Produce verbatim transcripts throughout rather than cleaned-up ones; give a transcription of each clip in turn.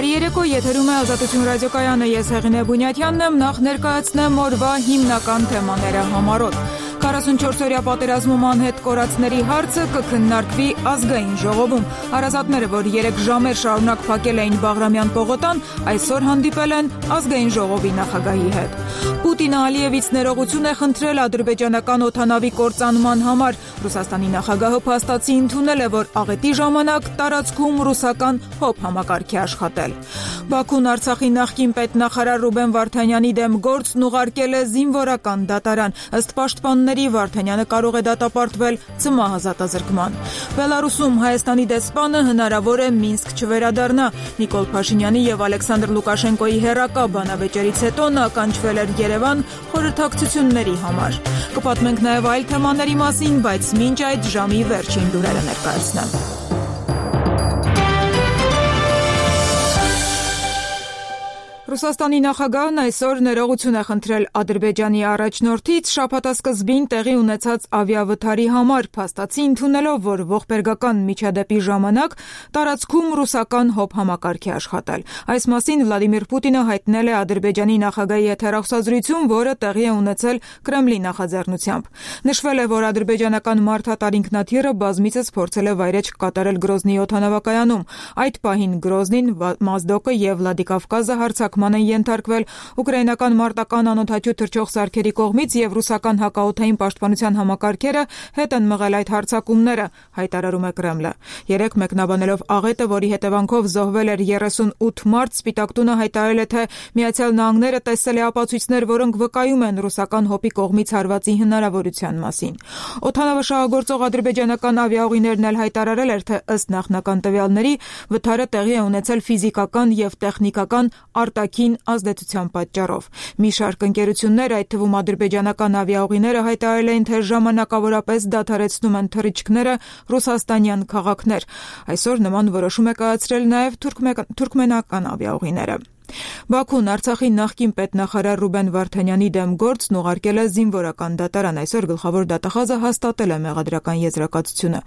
Բարի եթերում է Ազատություն ռադիոկայանը, ես Հեղինե Բունյաթյանն եմ, նախ ներկայացնեմ օրվա հիմնական թեմաները համարոտ։ քառասունչորս-օրյա պատերազմում անհետ կորածների հարցը կքննարկվի ազգային ժողովում։ Հարազատները, որ երեք ժամեր շարունակ փակել էին Բաղրամյան պողոտան, այսօր հանդիպել են ազգային ժողովի նախագահի հետ։ Պուտինը Ալիևից ներողություն է խնդրել ադրբեջանական օդանավի կործանման համար։ Ռուսաստանի նախագահը փաստացի ընդունել է, որ աղետի ժամանակ տարածքում ռուսական հոբ համակարգ է աշխատել։ Բաքուն Արցախի նախկին պետնախարար Ռուբեն Վարդանյանի դեմ գործն ուղարկել է զինվորական դատարան։ Ըստ պաշտպանների Վարդանյանը կարող է դատապարտվել ցմահ Բելարուսում Հայաստանի դեսպանը հնարավոր է Մինսկ չվերադառնա։ Նիկոլ Փաշինյանի եւ Ալեքսանդր Լուկաշենկոյի հերակա բանավեճերից հետո նա կանչվել էր Երևան խորհրդակցությունների համար։ Կպատմենք նաեւ այլ թեմաների մասին, բայց մինչ այդ ժամի վերջին լուրերը ներկայացնեմ։ Ռուսաստանի նախագահն այսօր ներողություն է խնդրել Ադրբեջանի առաջնորդից շաբաթասկզբին տեղի ունեցած ավիավթարի համար, փաստացի ընդունելով, որ ողբերգական միջադեպի ժամանակ տարածքում ռուսական հոբ համակարգ է աշխատել։ Այս մասին Վլադիմիր Պուտինը հայտնել է Ադրբեջանի նախագահի հետ հեռախոսազրույցում, որը տեղի է ունեցել Կրեմլի նախաձեռնությամբ։ Նշվել է, որ ադրբեջանական մարդատար ինքնաթիռը բազմիցս փորձել է վայրէջք կատարել Գրոզնիի օդանավակայանում։ Այդ պահին Գրոզնին, Մազդոկը եւ Վլադիկավկազը հարձակման են ենթարկվել ուկրաինական մարտական անօդաչու թռչող սարքերի կողմից եւ ռուսական հակաօդային պաշտպանության համակարգերը հետ են մղել այդ հարձակումները, հայտարարում է Կրեմլը։ Երեք մեկնաբանելով աղետը, որի հետևանքով զոհվել էր երեսունութ մարդ, Սպիտակ տունը հայտարարել է, թե Միացյալ Նահանգները տեսել է ապացույցներ, որոնք վկայում են ռուսական հոպի կողմից հարվածի հնարավորության մասին։ Օդանավը շահագործող ադրբեջանական ավիաուղիներն էլ հայտարարել էր, թե ըստ նախնական տվյալների վթարը տեղի է ունեցել ֆիզիկական եւ տեխնիկական արտաքին ազդեցության պատճառով։ Մի շարք ընկերություններ, այդ թվում ադրբեջանական ավիաուղիները հայտարարել էին, թե ժամանակավորապես դադարեցնում են թռիչքները ռուսաստանյան քաղաքներ։ Այսօր նման որոշում է կայացրել նաև թուրքմենական ավիաուղիները։ Բաքուն Արցախի նախկին պետնախարար Ռուբեն Վարդանյանի դեմ գործն ուղարկել է զինվորական դատարան։ Այսօր գլխավոր դատախազը հաստատել է մեղադրական եզրակացությունը։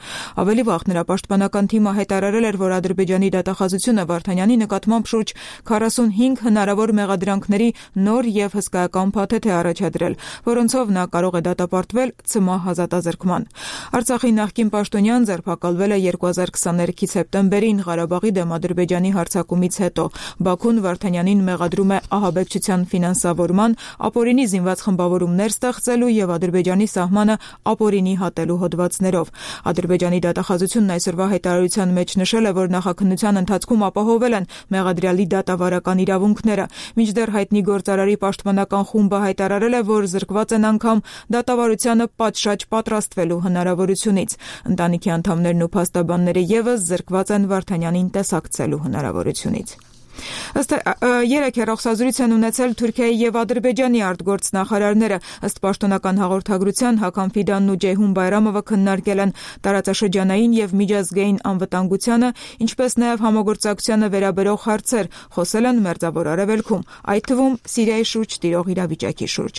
Ավելի վաղ նրա պաշտպանական թիմը հայտարարել էր, որ Ադրբեջանի դատախազությունը Վարդանյանի նկատմամբ շուրջ քառասունհինգ հնարավոր մեղադրանքների նոր եւ հսկայական փաթեթ է առաջադրել, որոնցով նա կարող է դատապարտվել ցմահ ազատազրկման։ Արցախի նախկին պաշտոնյան ձերբակալվել է երկու հազար քսաներեքի սեպտեմբերին Ղարաբաղի դեմ Ադրբեջանի հարձակումից հետո։ Բաքուն Վարդանյանին մեղադրում է ահաբեկչության ֆինանսավորման, ապօրինի զինված խմբավորումներ ստեղծելու եւ Ադրբեջանի սահմանը ապօրինի հատելու հոդվածներով։ Ադրբեջանի դատախազությունն այսօրվա հայտարարության մեջ նշել է, որ նախաքննության ընթացքում ապահովել են մեղադրյալի դատավարական իրավունքները։ Մինչդեռ հայտնի գործարարի պաշտպանական խումբը հայտարարել է, որ զրկված են անգամ դատավարությանը պատշաճ պատրաստվելու հնարավորությունից։ Ընտանիքի անդամներն ու փաստաբանները եւս զրկված են Վարդանյանին տեսակցելու հնարավորությունից։ Ըստ երեք հեռախոսազրույց են ունեցել Թուրքիայի եւ Ադրբեջանի արտգործնախարարները։ Ըստ պաշտոնական հաղորդագրության Հական Ֆիդանն ու Ջեյհուն Բայրամովը քննարկել են տարածաշրջանային եւ միջազգային անվտանգությանը, ինչպես նաեւ համագործակցությանը վերաբերող հարցեր, խոսել են Մերձավոր Արևելքում, այդ թվում Սիրիայի շուրջ տիրող իրավիճակի շուրջ։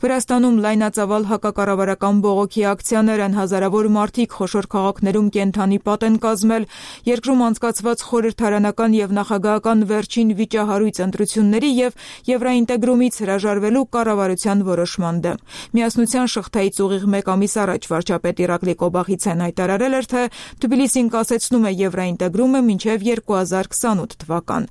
Վրաստանում լայնածավալ հակակառավարական բողոքի ակցիաներ են, հազարավոր մարդիկ խոշոր քաղաքներում կենթանի պատ են կազմել, երկրում անցկացված խորհրդարանական եւ նախագահական վերջին վիճահարույց ընտրությունների եւ Եվրաինտեգրումից հրաժարվելու կառավարության որոշման դեմ։ Միասնության շղթայից ուղիղ մեկ ամիս առաջ վարչապետ Իրակլի Կոբախիցեն հայտարարել էր, թե Թբիլիսին կասեցնում է Եվրաինտեգրումը մինչև երկու հազար քսանութ թվական։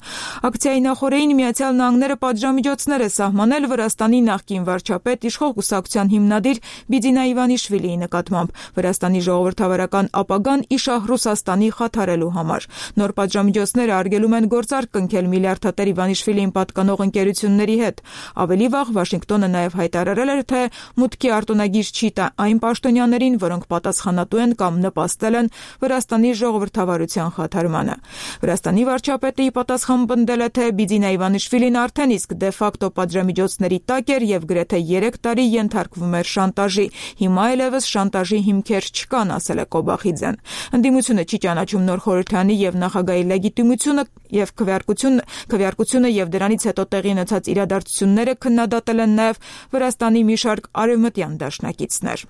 Ակցիայի նախօրեին Միացյալ Նահանգները պատժամիջոցներ է սահմանել Վրաստանի նախկին վարչապետ իշխող կուսակցության հիմնադիր Բիձինա Իվանիշվիլիի նկատմամբ Վրաստանի ժողովրդավարական ապագան իշահ Ռուսաստանի խաթարելու համար։ Նոր պատժամիջոցները արգելում են գործարք կնքել միլիարդատեր Իվանիշվիլիին պատկանող ընկերությունների հետ։ Ավելի վաղ Վաշինգտոնը նաև հայտարարել էր, թե մուտքի արտոնագիր չի տա այն պաշտոնյաներին, որոնք պատասխանատու են կամ նպաստել են Վրաստանի ժողովրդավարության խաթարմանը։ Վրաստանի վարչապետը ի պատասխան պնդել է, թե Բիձինա Իվանիշվիլին արդեն իսկ դե ֆակտո պատժամիջոցների տակ էր եւ գրեթե երեք տարի ենթարկվում էր շանտաժի։ Հիմա այլևս շանտաժի հիմքեր չկան, ասել է Կոբախիձեն։ Ընդդիմությունը չի ճանաչում նոր խորհրդանի եւ նախագահի լեգիտիմությունը եւ քվեարկությունը, քվեարկությունը եւ դրանից հետո տեղի ունեցած իրադարձությունները քննադատել են նաեւ Վրաստանի մի շարք արևմտյան դաշնակիցներ։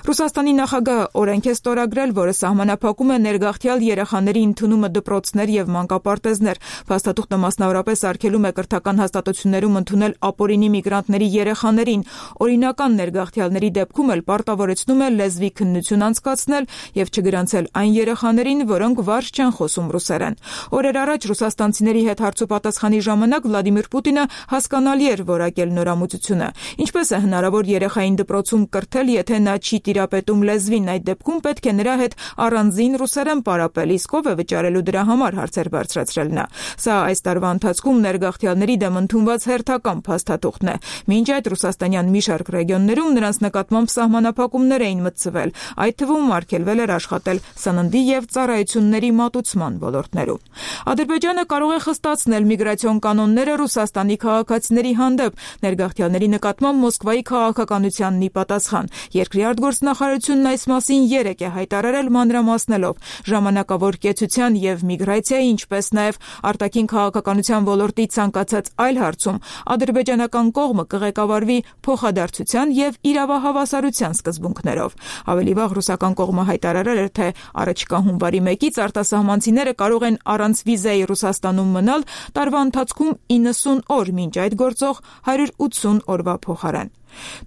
Ռուսաստանի նախագահը օրենք է ստորագրել, որը սահմանափակում է ներգաղթյալ երեխաների ընդունումը դպրոցներ եւ մանկապարտեզներ։ Փաստաթուղթը մասնավորապես արգելում է կրթական հաստատություններում ընդունել ապօրինի միգրանտների երեխաներին։ Օրինական ներգաղթյալների դեպքում էլ պարտավորեցնում է լեզվի քննություն անցկացնել եւ չգրանցել այն երեխաներին, որոնք վարժ չեն խոսում ռուսերեն։ Օրեր առաջ ռուսաստանցիների հետ հարցուպատասխանի ժամանակ Վլադիմիր Պուտինը հասկանալի էր որակել նորամուծությունը։ Ինչպես է հնարավոր երեխային դպրոցում կրթել, եթե նա չի տիրապետում լեզվին, այդ դեպքում պետք է նրա հետ առանձին ռուսերեն պարապել, իսկ ով է վճարելու դրա համար, հարցեր բարձրացրել նա։ Սա այս տարվա ընթացքում ներգաղթյալների դեմ ընդունված հերթական փաստաթուղթն է։ Մինչ այդ ռուսաստանյան մի շարք ռեգիոններում նրանց նկատմամբ սահմանափակումներ էին մտցվել, այդ թվում արգելվել էր աշխատել սննդի եւ ծառայությունների մատուցման ոլորտներում։ Ադրբեջանը կարող է խստացնել միգրացիոն կանոնները Ռուսաստանի քաղաքացիների հանդեպ, ներգաղթյալների նկատմամբ Մոսկվայի քաղաքականությանն ի պատասխան։ Երկրի արտգործնախարարությունն այս մասին երեկ է հայտարարել մանրամասնելով ժամանակավոր կեցության եւ միգրացիայի, ինչպես նաեւ արտաքին քաղաքականության ոլորտի ցանկացած այլ հարցում ադրբեջանական կողմը կղեկավարվի փոխադարձության եւ իրավահավասարության սկզբունքներով։ Ավելի վաղ ռուսական կողմը հայտարարել էր, թե առաջիկա հունվարի մեկից արտասահմանցիները կարող են առանց վիզայի Ռուսաստանում մնալ տարվա ընթացքում իննսուն օր, մինչ այդ գործող հարյուր ութսուն օրվա փոխարեն։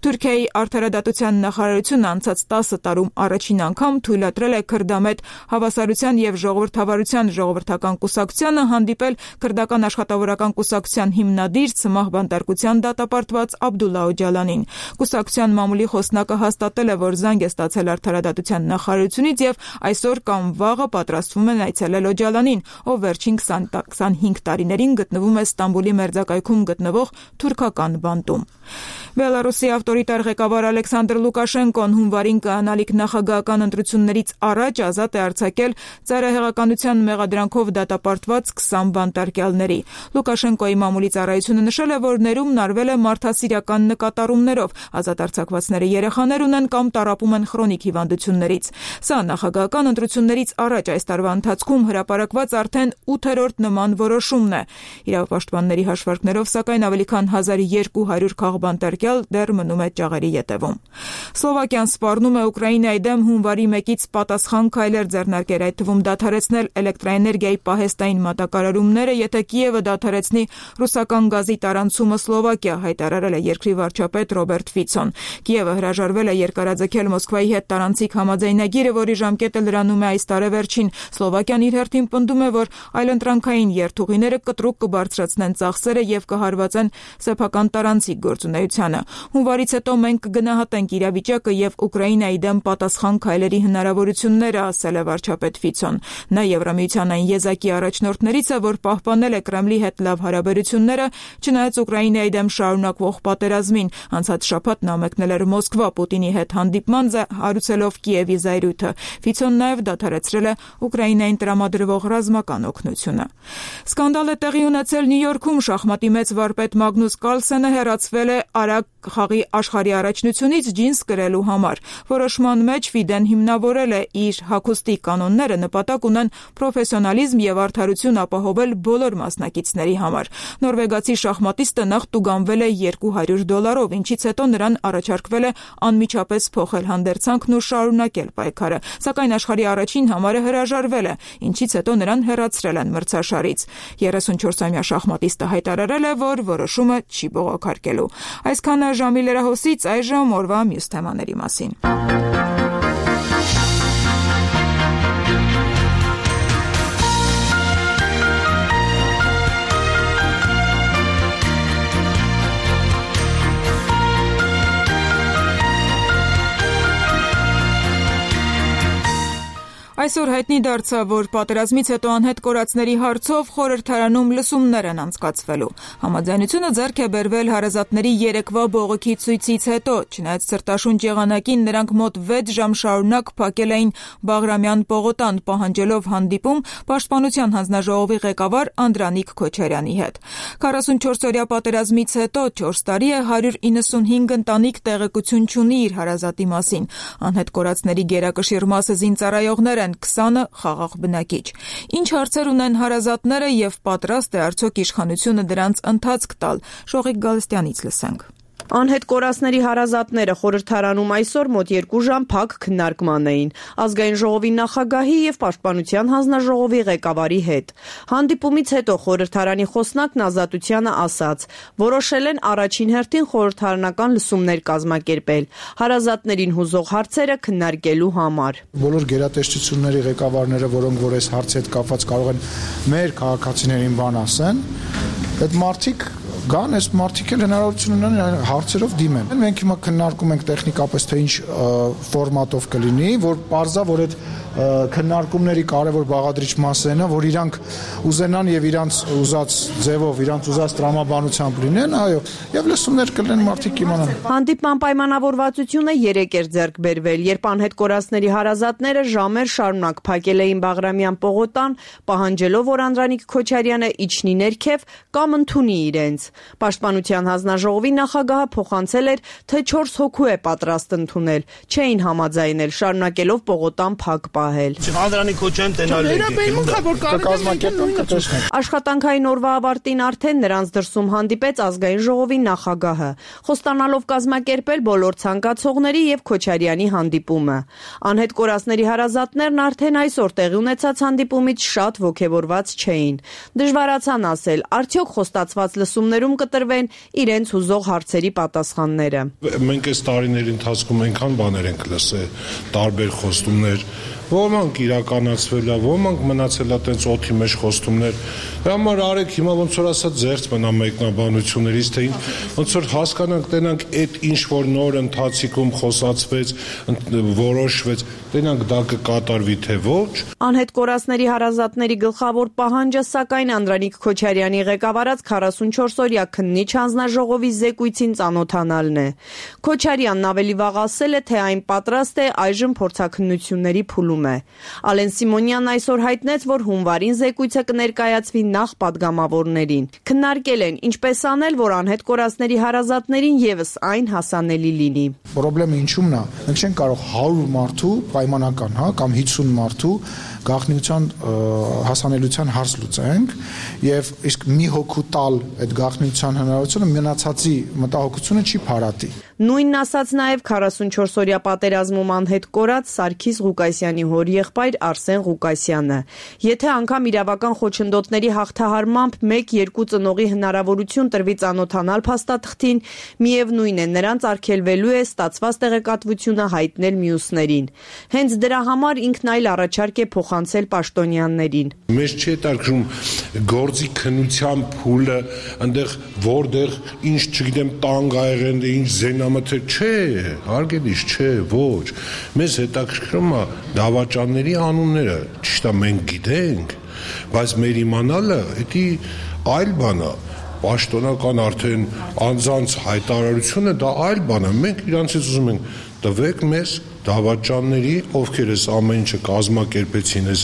Թուրքիայի արդարադատության նախարարությունը անցած տասը տարում առաջին անգամ թույլատրել է քրդամետ հավասարության եւ ժողովրդավարության ժողովրդական կուսակցությանը հանդիպել քրդական աշխատավորական կուսակցության հիմնադիր ցմահ բանտարկության դատապարտված Աբդուլլա Օջալանին։ Կուսակցության մամուլի խոսնակը հաստատել է, որ զանգ է ստացել արդարադատության նախարարությունից եւ այսօր կամ վաղը պատրաստվում են այցելել Օջալանին, ով վերջին քսանհինգ տարիներին գտնվում է Ստամբուլի մերձակայքում գտնվող թուրքական բանտում։ Բելարուսի ավտորիտար ղեկավար Ալեքսանդր Լուկաշենկոն հունվարին կայանալիք նախագահական ընտրություններից առաջ ազատ է արձակել ծայրահեղականության մեղադրանքով դատապարտված քսան բանտարկյալների։ Լուկաշենկոյի մամուլի ծառայությունը նշել է, որ ներումն արվել է մարդասիրական նկատառումներով։ Ազատ արձակվածները երեխաներ ունեն կամ տառապում են քրոնիկ հիվանդություններից։ Սա նախագահական ընտրություններից առաջ այս տարվա ընթացքում հրապարակված արդեն ութերորդ նման որոշումն է։ Իրավապաշտպանների հաշվարկներով, սակայն ավելի քան հազար երկու հարյուր քաղբանտարկյալ դեռ մնում է ճաղերի ետևում։ Սլովակիան սպառնում է Ուկրաինայի դեմ հունվարի մեկից պատասխան քայլեր ձեռնարկել, այդ թվում դադարեցնել էլեկտրաէներգիայի պահեստային մատակարարումները, եթե Կիևը դադարեցնի ռուսական գազի տարանցումը Սլովակիա, հայտարարել է երկրի վարչապետ Ռոբերտ Ֆիցոն։ Կիևը հրաժարվել է երկարաձգել Մոսկվայի հետ տարանցիկ համաձայնագիրը, որի ժամկետը լրանում է այս տարեվերջին։ Սլովակիան իր հերթին պնդում է, որ այլընտրանքային երթուղիները կտրուկ կբարձրացնեն ծախսերը եւ կհարվածեն սեփական տարանցիկ գործունեությանը։ Հունվարից հետո մենք կգնահատենք իրավիճակը եւ Ուկրաինայի դեմ պատասխան քայլերի հնարավորությունները, ասել է վարչապետ Ֆիցոն։ Նա Եվրամիության այն եզակի առաջնորդներից է, որ պահպանել է Կրեմլի հետ լավ հարաբերությունները, չնայած Ուկրաինայի դեմ շարունակվող պատերազմին։ Անցած շաբաթ նա մեկնել էր Մոսկվա Պուտինի հետ հանդիպման, հարուցելով Կիևի զայրույթը։ Ֆիցոն նաեւ դադարեցրել է Ուկրաինային տրամադրվող ռազմական օգնությունը։ Սկանդալ է տեղի ունեցել Նյու Յորքում, շախմատի մեծ վարպետ Մագնուս Կարլսենը հեռացվել է արագ խաղի աշխարհի առաջնությունից ջինս կրելու համար։ Որոշման մեջ Ֆիդեն հիմնավորել է իր հագուստի կանոնները, նպատակ ունեն պրոֆեսիոնալիզմ եւ արդարություն ապահովել բոլոր մասնակիցների համար։ Նորվեգացի շախմատիստը նախ տուգանվել է երկու հարյուր դոլարով, ինչից հետո նրան առաջարկվել է անմիջապես փոխել հանդերձանքն ու շարունակել պայքարը, սակայն աշխարհի առաջին համարը հրաժարվել է, ինչից հետո նրան հեռացրել են մրցաշարից։ երեսունչորսամյա շախմատիստը հայտարարել է, որ որոշումը չի բողոքարկելու։ Այսքանը ժամի լրահոսից, այժմ օրվա մյուս թեմաների մասին։ Այսօր հայտնի դարձավ, որ պատերազմից հետո անհետ կորածների հարցով խորհրդարանում լսումներ են անցկացվելու։ Համաձայնությունը ձեռք է բերվել հարազատների երեկվա բողոքի ցույցից հետո, չնայած ցրտաշունչ եղանակին նրանք մոտ վեց ժամ շարունակ փակել էին Բաղրամյան պողոտան, պահանջելով հանդիպում Պաշտպանության հանձնաժողովի ղեկավար Անդրանիկ Քոչարյանի հետ։ քառասունչորս-օրյա պատերազմից հետո չորս տարի է հարյուր իննսունհինգ ընտանիք տեղեկություն չունի իր հարազատի մասին։ Անհետ կորածների գերակշիռ մասը զինծառայողներ են, քսանը խաղաղ բնակիչ։ Ինչ հարցեր ունեն հարազատները եւ պատրաստ է արդյոք իշխանությունը դրանց ընթացք տալ։ Շողիկ Գալստյանից լսենք։ Անհետ կորածների հարազատները խորհրդարանում այսօր մոտ երկու ժամ փակ քննարկման էին Ազգային ժողովի նախագահի եւ Պաշտպանության հանձնաժողովի ղեկավարի հետ։ Հանդիպումից հետո խորհրդարանի խոսնակն Ազատությանը ասաց, որոշել են առաջին հերթին խորհրդարանական լսումներ կազմակերպել հարազատներին հուզող հարցերը քննարկելու համար։ Բոլոր գերատեսչությունների ղեկավարները, որոնք որ այս հարցի հետ կապված կարող են մեր քաղաքացիներին բան ասեն, այդ մարդիկ Գան այս մարդիկ էլ հնարավորություն ունեն հարցերով դիմեն։ Մենք հիմա քննարկում ենք տեխնիկապես թե ինչ ֆորմատով կլինի, որ պարզա, որ այդ քննարկումների կարևոր բաղադրիչ մասը նա, որ իրանք ուզենան եւ իրանց ուզած ձևով, իրանց ուզած տրամաբանությամբ լինեն, այո, եւ լսումներ կլինեն մարդիկ իմանան։ Հանդիպման պայմանավորվածությունը երեք էր ձեռք բերվել, երբ անհետ կորածների հարազատները ժամեր շարունակ փակել էին Բաղրամյան պողոտան, պահանջելով, որ Անդրանիկ Քոչարյանը իջնի ներքև կամ ընդունի իրենց։ Պաշտպանության հանձնաժողովի նախագահը փոխանցել էր, թե չորս հոգու է պատրաստ ընդունել, չէին համաձայնել, շարունակելով պողոտան փակ պահել։ Անդրանիկ Քոչարյանը տենալ Աշխատանքային օրվա ավարտին արդեն նրանց դրսում հանդիպեց Ազգային ժողովի նախագահը, խոստանալով կազմակերպել բոլոր ցանկացողների եւ Քոչարյանի հանդիպումը։ Անհետ կորածների հարազատներն արդեն այսօր տեղի ունեցած հանդիպումից շատ ոգևորված չէին։ Դժվարացան ասել, արդյոք խոստացված լսումներում կտրվեն իրենց հուզող հարցերի պատասխանները։ Մենք այս տարիների ընթացքում այնքան բաներ ենք լսել, տարբեր խոստումներ, ոմանք իրականացվել է, ոմանք մնացել է տենց օդի մեջ խոստումներ։ Դրա համար արեք հիմա ոնց որ ասած զերծ մնա մեկնաբանություններից, թե ոնց որ հասկանանք, տենանք այդ ինչ որ նոր ընթացիկում խոսացվեց, որոշվեց, տենանք դա կկատարվի թե ոչ։ Անհետ կորածների հարազատների գլխավոր պահանջը սակայն Անդրանիկ Քոչարյանի ղեկավարած քառասունչորս-օրյա քննիչ հանձնաժողովի զեկույցին ծանոթանալն է։ Քոչարյանն ավելի վաղ ասել է, թե այն պատրաստ է այժմ փորձաքննությունների փուլում է։ Ալեն Սիմոնյանն այսօր հայտնեց, որ հունվարին զեկույցը կներկայացվի նախ պատգամավորներին։ Քննարկել են ինչպես անել, որ անհետ կորածների հարազատներին եւս այն հասանելի լինի։ Պրոբլեմը ինչումն է։ Մենք չենք կարող հարյուր մարդու պայմանական, հա, կամ հիսուն մարդու գաղտնիության հասանելիության հարց լուծենք եւ իսկ մի հոգու տալ այդ գաղտնիության հնարավորությունը մնացածի մտահոգությունը չի փարատի։ Նույնն ասաց նաեւ քառասունչորս-օրյա պատերազմում անհետ կորած Սարգիս Ղուկասյանի հորեղբայր Արսեն Ղուկասյանը։ Եթե անգամ իրավական խոչընդոտների հաղթահարմամբ մեկ-երկու ծնողի հնարավորություն տրվի ծանոթանալ փաստաթղթին, միևնույն է նրանց արգելվելու է ստացված տեղեկատվությունը հայտնել մյուսներին։ Հենց դրա համար ինքն այլ առաջարկ է փոխանցել պաշտոնյաներին։ Մեզ չի հետաքրում գործի քննության փուլը, այնտեղ որտեղ ինչ, չգիտեմ, տանգ ա եղել, ինչ զենամթեր, չէ, հարգելիս, չէ, ոչ։ Մեզ հետաքրքրում է դավաճանների անունները, ճիշտ է, մենք գիտենք, բայց մեր իմանալը դա այլ բան է։ Պաշտոնական արդեն անձանց հայտարարությունը դա այլ բան է։ Մենք իրանցից ուզում ենք տվեք մեզ դավաճանների, ովքեր էս ամեն ինչը կազմակերպեցին այս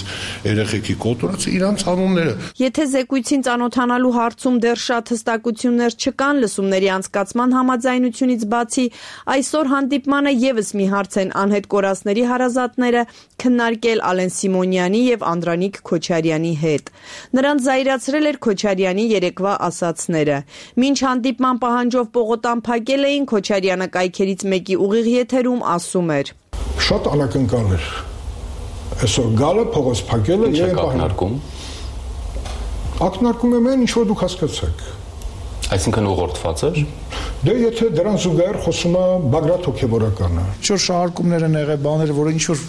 երեխեքի կոտորածը, իրանց անունները։ Եթե զեկույցին ծանոթանալու հարցում դեռ շատ հստակություններ չկան լսումների անցկացման համաձայնությունից բացի, այսօր հանդիպմանը եւս մի հարց են անհետ կորածների հարազատները քննարկել Ալեն Սիմոնյանի եւ Անդրանիկ Քոչարյանի հետ։ Նրանց զայրացրել էր Քոչարյանի երեկվա ասացները։ Մինչ հանդիպման պահանջով պողոտան փակել էին, Քոչարյանը կայքերից մեկի ուղիղ եթերում ասում էր. Շատ անակնկալ էր։ Այսօր գալը փողոց փակելը եւ ակնարկում։ Ակնարկում եմ այն, ինչ որ դուք հասկացաք։ Այսինքն ուղղորդված էր։ Դե եթե դրան զուգահեռ խոսում է Բագրատ հոգեբորականը։ Ինչ որ շահարկումներ են եղել, բաներ, որը ինչ որ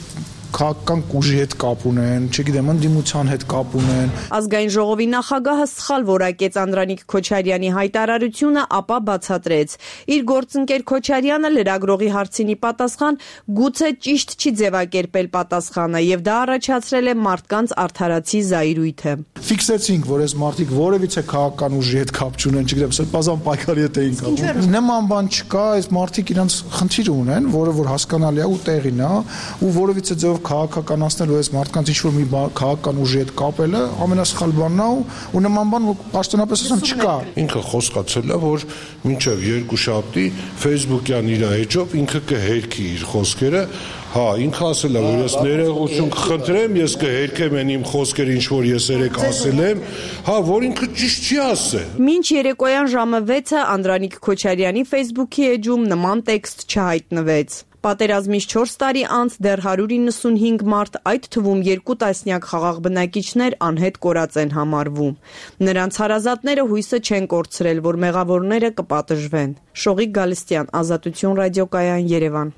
քաղաքական ուժի հետ կապ ունեն, չգիտեմ, ընդդիմության հետ կապ ունեն։ Ազգային ժողովի նախագահը սխալ որակեց Անդրանիկ Քոչարյանի հայտարարությունը, ապա բացատրեց. իր գործընկեր Քոչարյանը լրագրողի հարցինի պատասխան գուցե ճիշտ չի ձևակերպել պատասխանը եւ դա առաջացրել է մարդկանց արդարացի զայրույթը։ Ֆիքսեցինք, որ այս մարդիկ որևիցե քաղաքական ուժի հետ կապ չունեն, չգիտեմ, սրբազան պայքարի հետ էին կապում։ Նման բան չկա, այս մարդիկ իրանց խնդիր ունեն, որը որ հասկանալի է ու տեղին է, ու որևիցե ձեւ քաղաքականացնելու այս մարդկանց ինչ որ մի քաղաքական ուժի հետ կապելը ամենասխալ բանն է ու նման բան պաշտոնապես ասեմ չկա։ Ինքը խոսկացել է, որ մինչև երկուշաբթի Facebook-յան իր էջով ինքը կհերքի իր խոսքերը, Հա, ինքը ասել է, որ ես ներողություն կխնդրեմ, ես կհերքեմ այն իմ խոսքերը, ինչ որ ես երեք ասել եմ, հա, որ ինքը ճիշտ չի ասել։ Մինչ երեկոյան ժամը վեցը Անդրանիկ Քոչարյանի Facebook-ի էջում նման տեքստ չհայտնվեց։ Պատերազմից չորս տարի անց դեռ հարյուր իննսունհինգ մարդ, այդ թվում երկու տասնյակ խաղաղ բնակիչներ անհետ կորած են համարվում։ Նրանց հարազատները հույսը չեն կորցրել, որ մեղավորները կպատժվեն։ Շողիկ Գալստյան, Ազատություն ռադիոկայան, Երևան։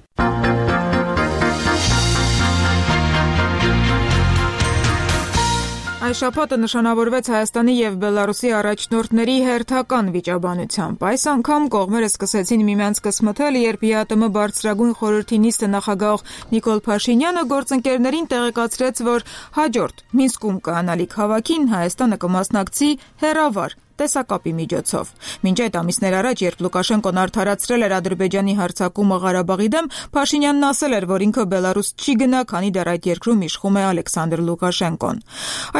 Այս շաբաթը նշանավորվեց Հայաստանի եւ Բելարուսի առաջնորդների հերթական վիճաբանությամբ։ Այս անգամ կողմերը սկսեցին միմյանց կսմթել, երբ ԵԱՏՄ բարձրագույն խորհրդի նիստը նախագահող Նիկոլ Փաշինյանը գործընկերներին տեղեկացրեց, որ հաջորդ Մինսկում կանալիք հավաքին Հայաստանը կմասնակցի հեռավար տեսակապի միջոցով։ Մինչ այդ ամիսներ առաջ, երբ Լուկաշենկոն արդարացրել էր Ադրբեջանի հարձակումը Ղարաբաղի դեմ, Փաշինյանն ասել էր, որ ինքը Բելարուս չի գնա, քանի դեռ այդ երկրում իշխում է Ալեքսանդր Լուկաշենկոն։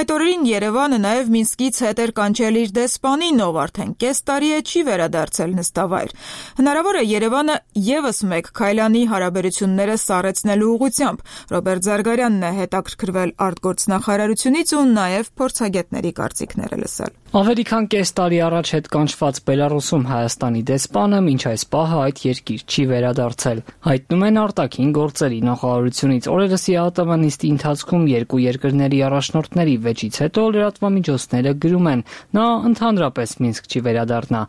Այդ օրերին Երևանը նաև Մինսկից հետ էր կանչել իր դեսպանին, ով արդեն կես տարի է չի վերադարձել նստավայր։ Հնարավոր է Երևանը ևս մեկ քայլ անի հարաբերությունները սառեցնելու ուղղությամբ։ Ռոբերտ Զարգարյանն է հետաքրքրվել արտգործնախարարությունից ու նաև փորձագետների կարծիքները լսել։ Ավելի քան կես տարի առաջ հետ կանչված Բելարուսում Հայաստանի դեսպանը մինչ այս պահը այդ երկիր չի վերադարձել։ Հայտնում են արտաքին գործերի նախարարությունից։ Օրերս ԵԱՏՄ նիստի ընթացքում երկու երկրների առաջնորդների վեճից հետո լրատվամիջոցները գրում են, նա ընդհանրապես Մինսկ չի վերադառնա։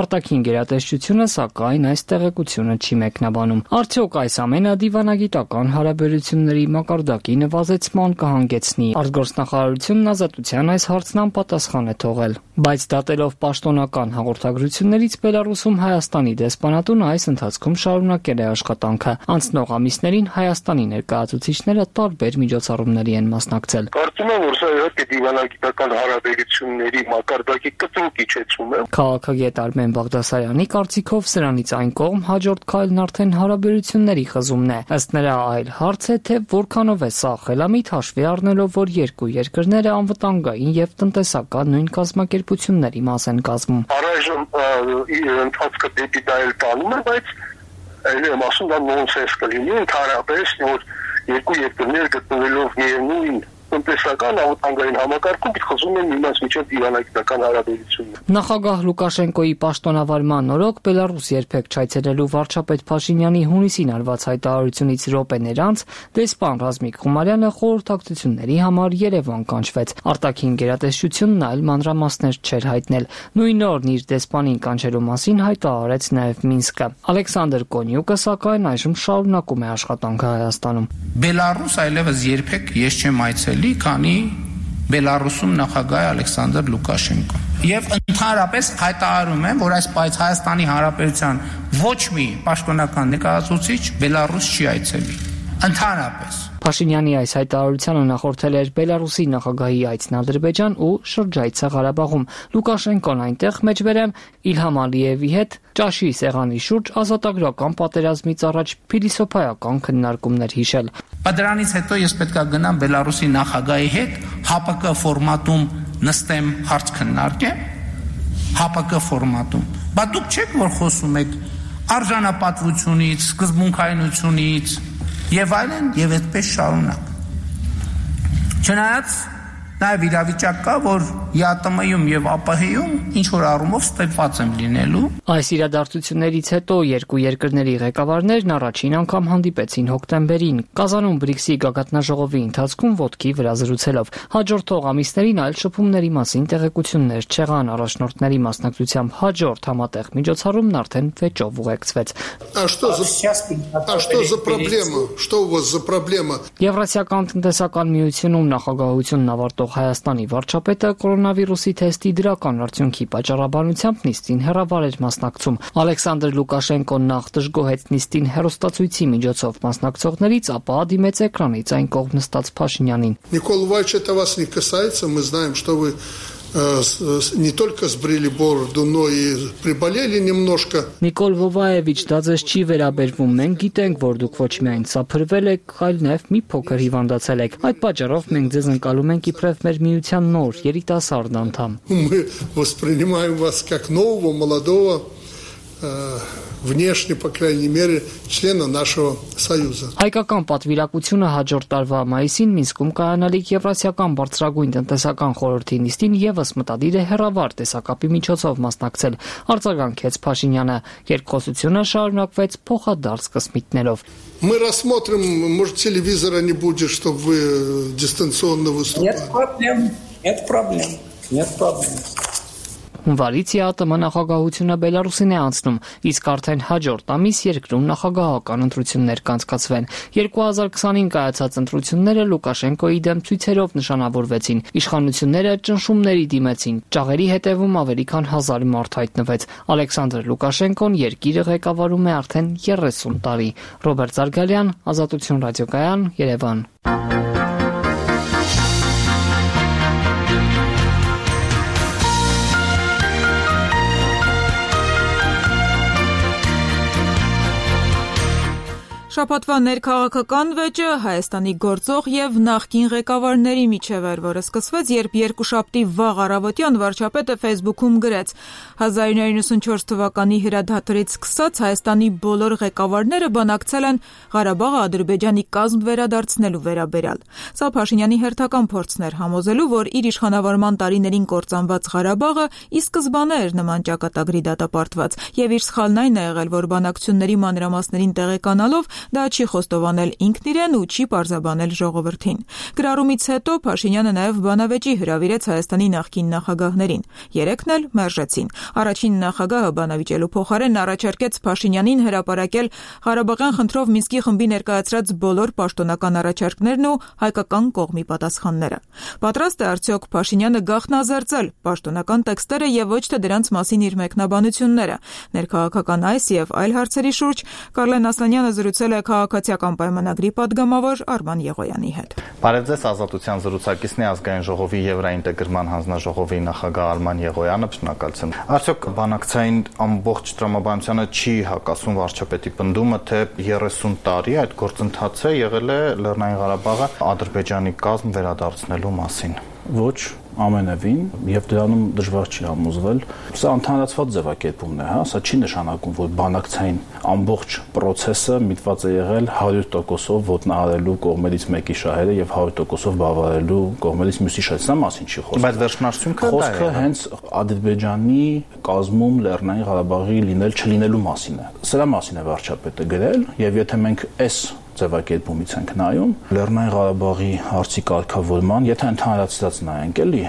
Արտաքին գերատեսչությունը սակայն այս տեղեկությունը չի մեկնաբանում։ Արդյոք այս ամենը դիվանագիտական հարաբերությունների մակարդակի նվազեցման կհանգեցնի։ Արտգործնախարարությունն Ազատության այս հարցն անպատասխան է թողել։ Բայց դատելով պաշտոնական հաղորդագրություններից Բելարուսում Հայաստանի դեսպանատունը այս ընթացքում շարունակել է աշխատանքը։ Անցնող ամիսներին Հայաստանի ներկայացուցիչները տարբեր միջոցառումների են մասնակցել։ Կարծում եմ, որ սա իհարկե դիվանագիտական հարաբերությունների մակարդակի կտրուկ իջեցում է։ Քաղաքագետ Արմեն Բաղդասարյանի կարծիքով սրանից այն կողմ հաջորդ քայլն արդեն հարաբերությունների խզումն է։ Ըստ նրա այլ հարց է, թե որքանով է սա խելամիտ հաշվի առնելով, որ երկու երկրները անվտանգային եւ տնտեսական նույն կազմակերպությունների մաս են կազմում։ Առայժմ ընթացքը դեպի դա էլ տանում է, բայց այլ եմ ասում, դա նոնսենս կլինի, ընդհանրապես, որ երկու երկրներ գտնվելով միևնույն տնտեսական անվտանգային համակարգում խզում են միմյանց միջև դիվանագիտական հարաբերություններ։ Նախագահ Լուկաշենկոյի պաշտոնավարման օրոք Բելարուս երբեք չայցելելու վարչապետ Փաշինյանի հունիսին արված հայտարարությունից րոպեներ անց դեսպան Ռազմիկ Խումարյանը խորհրդակցությունների համար Երևան կանչվեց։ Արտաքին գերատեսչությունն այլ մանրամասներ չէր հայտնել։ Նույն օրն իր դեսպանին կանչելու մասին հայտարարեց նաև Մինսկը։ Ալեքսանդր Կոնյուկը սակայն այժմ շարունակում է աշխատանքը Հայաստանում։ Բելարուս այլևս երբեք ես չեմ այցելի, քանի Բելարուսում նախագահ է Ալեքսանդր Լուկաշենկոն։ Եվ ընդհանրապես հայտարարում եմ, որ այս բայց Հայաստանի Հանրապետության ոչ մի պաշտոնական ներկայացուցիչ Բելարուս չի այցելի։ Ընդհանրապես Փաշինյանի այս հայտարարությանը նախորդել էր Բելարուսի նախագահի այցն Ադրբեջան ու շրջայցը Ղարաբաղում։ Լուկաշենկոն այնտեղ մեջբերեմ Իլհամ Ալիևի հետ ճաշի սեղանի շուրջ ազատագրական պատերազմից առաջ փիլիսոփայական քննարկումներ հիշել։ Բայց դրանից հետո ես պետք է գնամ Բելարուսի նախագահի հետ ՀԱՊԿ ֆորմատում նստեմ, հարց քննարկեմ, ՀԱՊԿ ֆորմատում։ Բայց դուք չեք որ խոսում եք արժանապատվությունից, սկզբունքայնությունից եւ այլն եւ այդպես շարունակ։ Չնայած նաեւ իրավիճակ կա, որ ԵԱՏՄ-ում եւ ԱՊՀ-ում ինչ որ առումով ստեփված եմ լինելու։ Այս իրադարձություններից հետո երկու երկրների ղեկավարներն առաջին անգամ հանդիպեցին հոկտեմբերին Կազանում բրիքսի գագաթնաժողովի ընթացքում ոտքի վրա զրուցելով։ Հաջորդող ամիսներին այլ շփումների մասին տեղեկություններ չեղան, առաջնորդների մասնակցությամբ հաջորդ համատեղ միջոցառումն արդեն վեճով ուղեկցվեց։ А что за А что за проблема? Что у вас за проблема? Եվրասիական տնտեսական միությունում նախագահությունն ավարտող Հայաստանի վարչապետը կորոնավիրուսի թեստի դրական արդյունքի պատճառաբանությամբ նիստին հեռավար էր մասնակցում։ Ալեքսանդր Լուկաշենկոն նախ դժգոհեց նիստին հեռուստացույցի միջոցով մասնակցողներից, ապա դիմեց էկրանից այն կողմ նստած Փաշինյանին։ Никол Иванович, это вас не касается, мы знаем, что вы не только сбрили бороду, но и приболели немножко. Նիկոլ Վովայևիչ, դա ձեզ չի վերաբերվում։ Մենք գիտենք, որ դուք ոչ միայն սափրվել եք, այլ նաև մի փոքր հիվանդացել եք։ Այդ պատճառով մենք ձեզ ընկալում ենք իբրև մեր միության նոր երիտասարդ անդամ։ Мы воспринимаем вас как нового, молодого внешне, по крайней мере, члена нашего Союза. Հայկական պատվիրակությունը հաջորդ տարվա մայիսին Մինսկում կայանալիք Եվրասիական բարձրագույն տնտեսական խորհրդի նիստին եւս մտադիր է հեռավար տեսակապի միջոցով մասնակցել, արձագանքեց Փաշինյանը։ Երկխոսությունը շարունակվեց փոխադարձ կսմիթներով։ Мы рассмотрим, может, телевизора не будет, чтобы вы дистанционно выступали. Нет проблем, нет проблем, нет проблем. Հունվարից ԵԱՏՄ նախագահությունը Բելարուսին է անցնում, իսկ արդեն հաջորդ ամիս երկրում նախագահական ընտրություններ կանցկացվեն։ երկու հազար քսանհինգ կայացած ընտրությունները Լուկաշենկոյի դեմ ցույցերով նշանավորվեցին։ Իշխանությունները ճնշումների դիմեցին։ Ճաղերի հետևում ավելի քան հազար մարդ հայտնվեց։ Ալեքսանդր Լուկաշենկոն երկիրը ղեկավարում է արդեն երեսուն տարի։ Ռոբերտ Զարգալյան, Ազատություն ռադիոկայան, Երևան։ Շաբաթվա ներքաղաքական վեճը Հայաստանի գործող եւ նախկին ղեկավարների միջև էր, որը սկսվեց, երբ երկուշաբթի վաղ առավոտյան վարչապետը Facebook-ում գրեց. հազար իննսուն իննսունչորս թվականի հրադադարից սկսած Հայաստանի բոլոր ղեկավարները բանակցել են Ղարաբաղը Ադրբեջանի կազմ վերադարձնելու վերաբերյալ։ Սա Փաշինյանի հերթական փորձն էր համոզելու, որ իր իշխանավարման տարիներին կործանված Ղարաբաղը ի սկզբանե էր նման ճակատագրի դատապարտված, եւ իր սխալն այն է եղել, որ բանակցությունների մանրամասներին տեղեկանալով դա չի խոստովանել ինքն իրեն ու չի պարզաբանել ժողովրդին։ Գրառումից հետո Փաշինյանը նաև բանավեճի հրավիրեց Հայաստանի նախկին նախագահներին։ Երեքն էլ մերժեցին։ Առաջին նախագահը բանավիճելու փոխարեն առաջարկեց Փաշինյանին հրապարակել Ղարաբաղյան խնդրով Մինսկի խմբի ներկայացրած բոլոր պաշտոնական առաջարկներն ու հայկական կողմի պատասխանները։ Պատրաստ է արդյոք Փաշինյանը գաղտնազերծել պաշտոնական տեքստերը եւ ոչ թե դրանց մասին իր մեկնաբանությունները։ Ներքաղաքական այս եւ այլ հարցերի շուրջ Կարլեն Ասլանյանը զրուցել է քաղաքացիական պայմանագրի падգամավոր Արման Եղոյանի հետ։ Բարև ձեզ, Ազատության զրուցակիցն է ազգային ժողովի Եվրաինտեգրման հանձնաժողովի նախագահ Արման Եղոյանը, շնորհակալություն։ Արդյոք բանակցային ամբողջ տրամաբանությանը չի հակասում վարչապետի պնդումը, թե երեսուն տարի այդ գործընթացը եղել է Լեռնային Ղարաբաղը Ադրբեջանի կազմ վերադարձնելու մասին։ Ոչ, ամենևին, եւ դրանում դժվար չի համոզվել։ Սա ընդհանրացված ձևակերպումն է, հա, սա չի նշանակում, որ բանակցային ամբողջ process-ը միտված է եղել հարյուր տոկոսով ոտնահարելու կողմերից մեկի շահերը եւ հարյուր տոկոսով բավարարելու կողմերից մյուսի շահերը, սա մասին չի խոսքը։ Բայց վերջնարդյունքը խոսքը հենց Ադրբեջանի կազմում Լեռնային Ղարաբաղի լինել չլինելու մասին է։ Սրա մասին է վարչապետը գրել, եւ եթե մենք այս ձևակերպումից ենք նայում Լեռնային Ղարաբաղի հարցի կարգավորման, եթե ընդհանրացած նայենք, էլի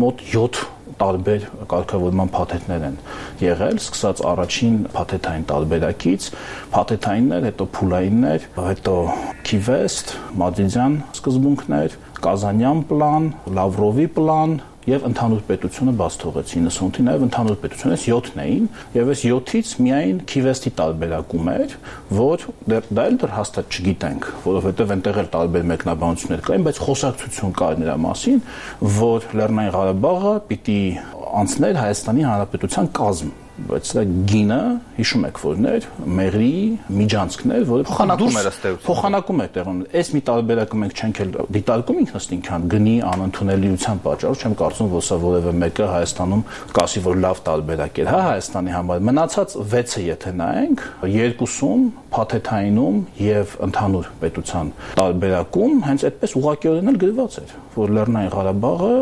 մոտ յոթ տարբեր կարգավորման փաթեթներ են եղել, սկսած առաջին փաթեթային տարբերակից, փաթեթայիններ, հետո փուլայիններ, հետո Քիվեստ, Մադրիդյան սկզբունքներ, Կազանյան պլան, Լավրովի պլան եւ ընդհանուր պետությունը բաց թողեց իննսունի նաեւ ընդհանուր պետությունից յոթն էին եւ այս յոթից միայն Քիվեստի տարբերակում էր, որ դա էլ դեռ հաստատ չգիտենք, որովհետեւ այնտեղ էլ տարբեր մեկնաբանություններ կային, բայց խոսակցություն կար նրա մասին, որ Լեռնային Ղարաբաղը պիտի անցներ Հայաստանի Հանրապետության կազմ, բայց դա գինը հիշում եք որներ մեղրի միջանցքն էր, որը փոխանակում էր ըստեյություն փոխանակում էր տեղում այս մի տարբերակը մենք չենք էլ դիտարկում ինքնըստինքյան գնի անընդունելիության պատճառով չեմ կարծում որ սա որևէ մեկը Հայաստանում կասի որ լավ տարբերակ էր հա Հայաստանի համար մնացած վեցը եթե նայենք երկուսում փաթեթայինում եւ ընդհանուր պետության տարբերակում հենց այդպես ուղղակիորեն էլ գրված էր որ Լեռնային Ղարաբաղը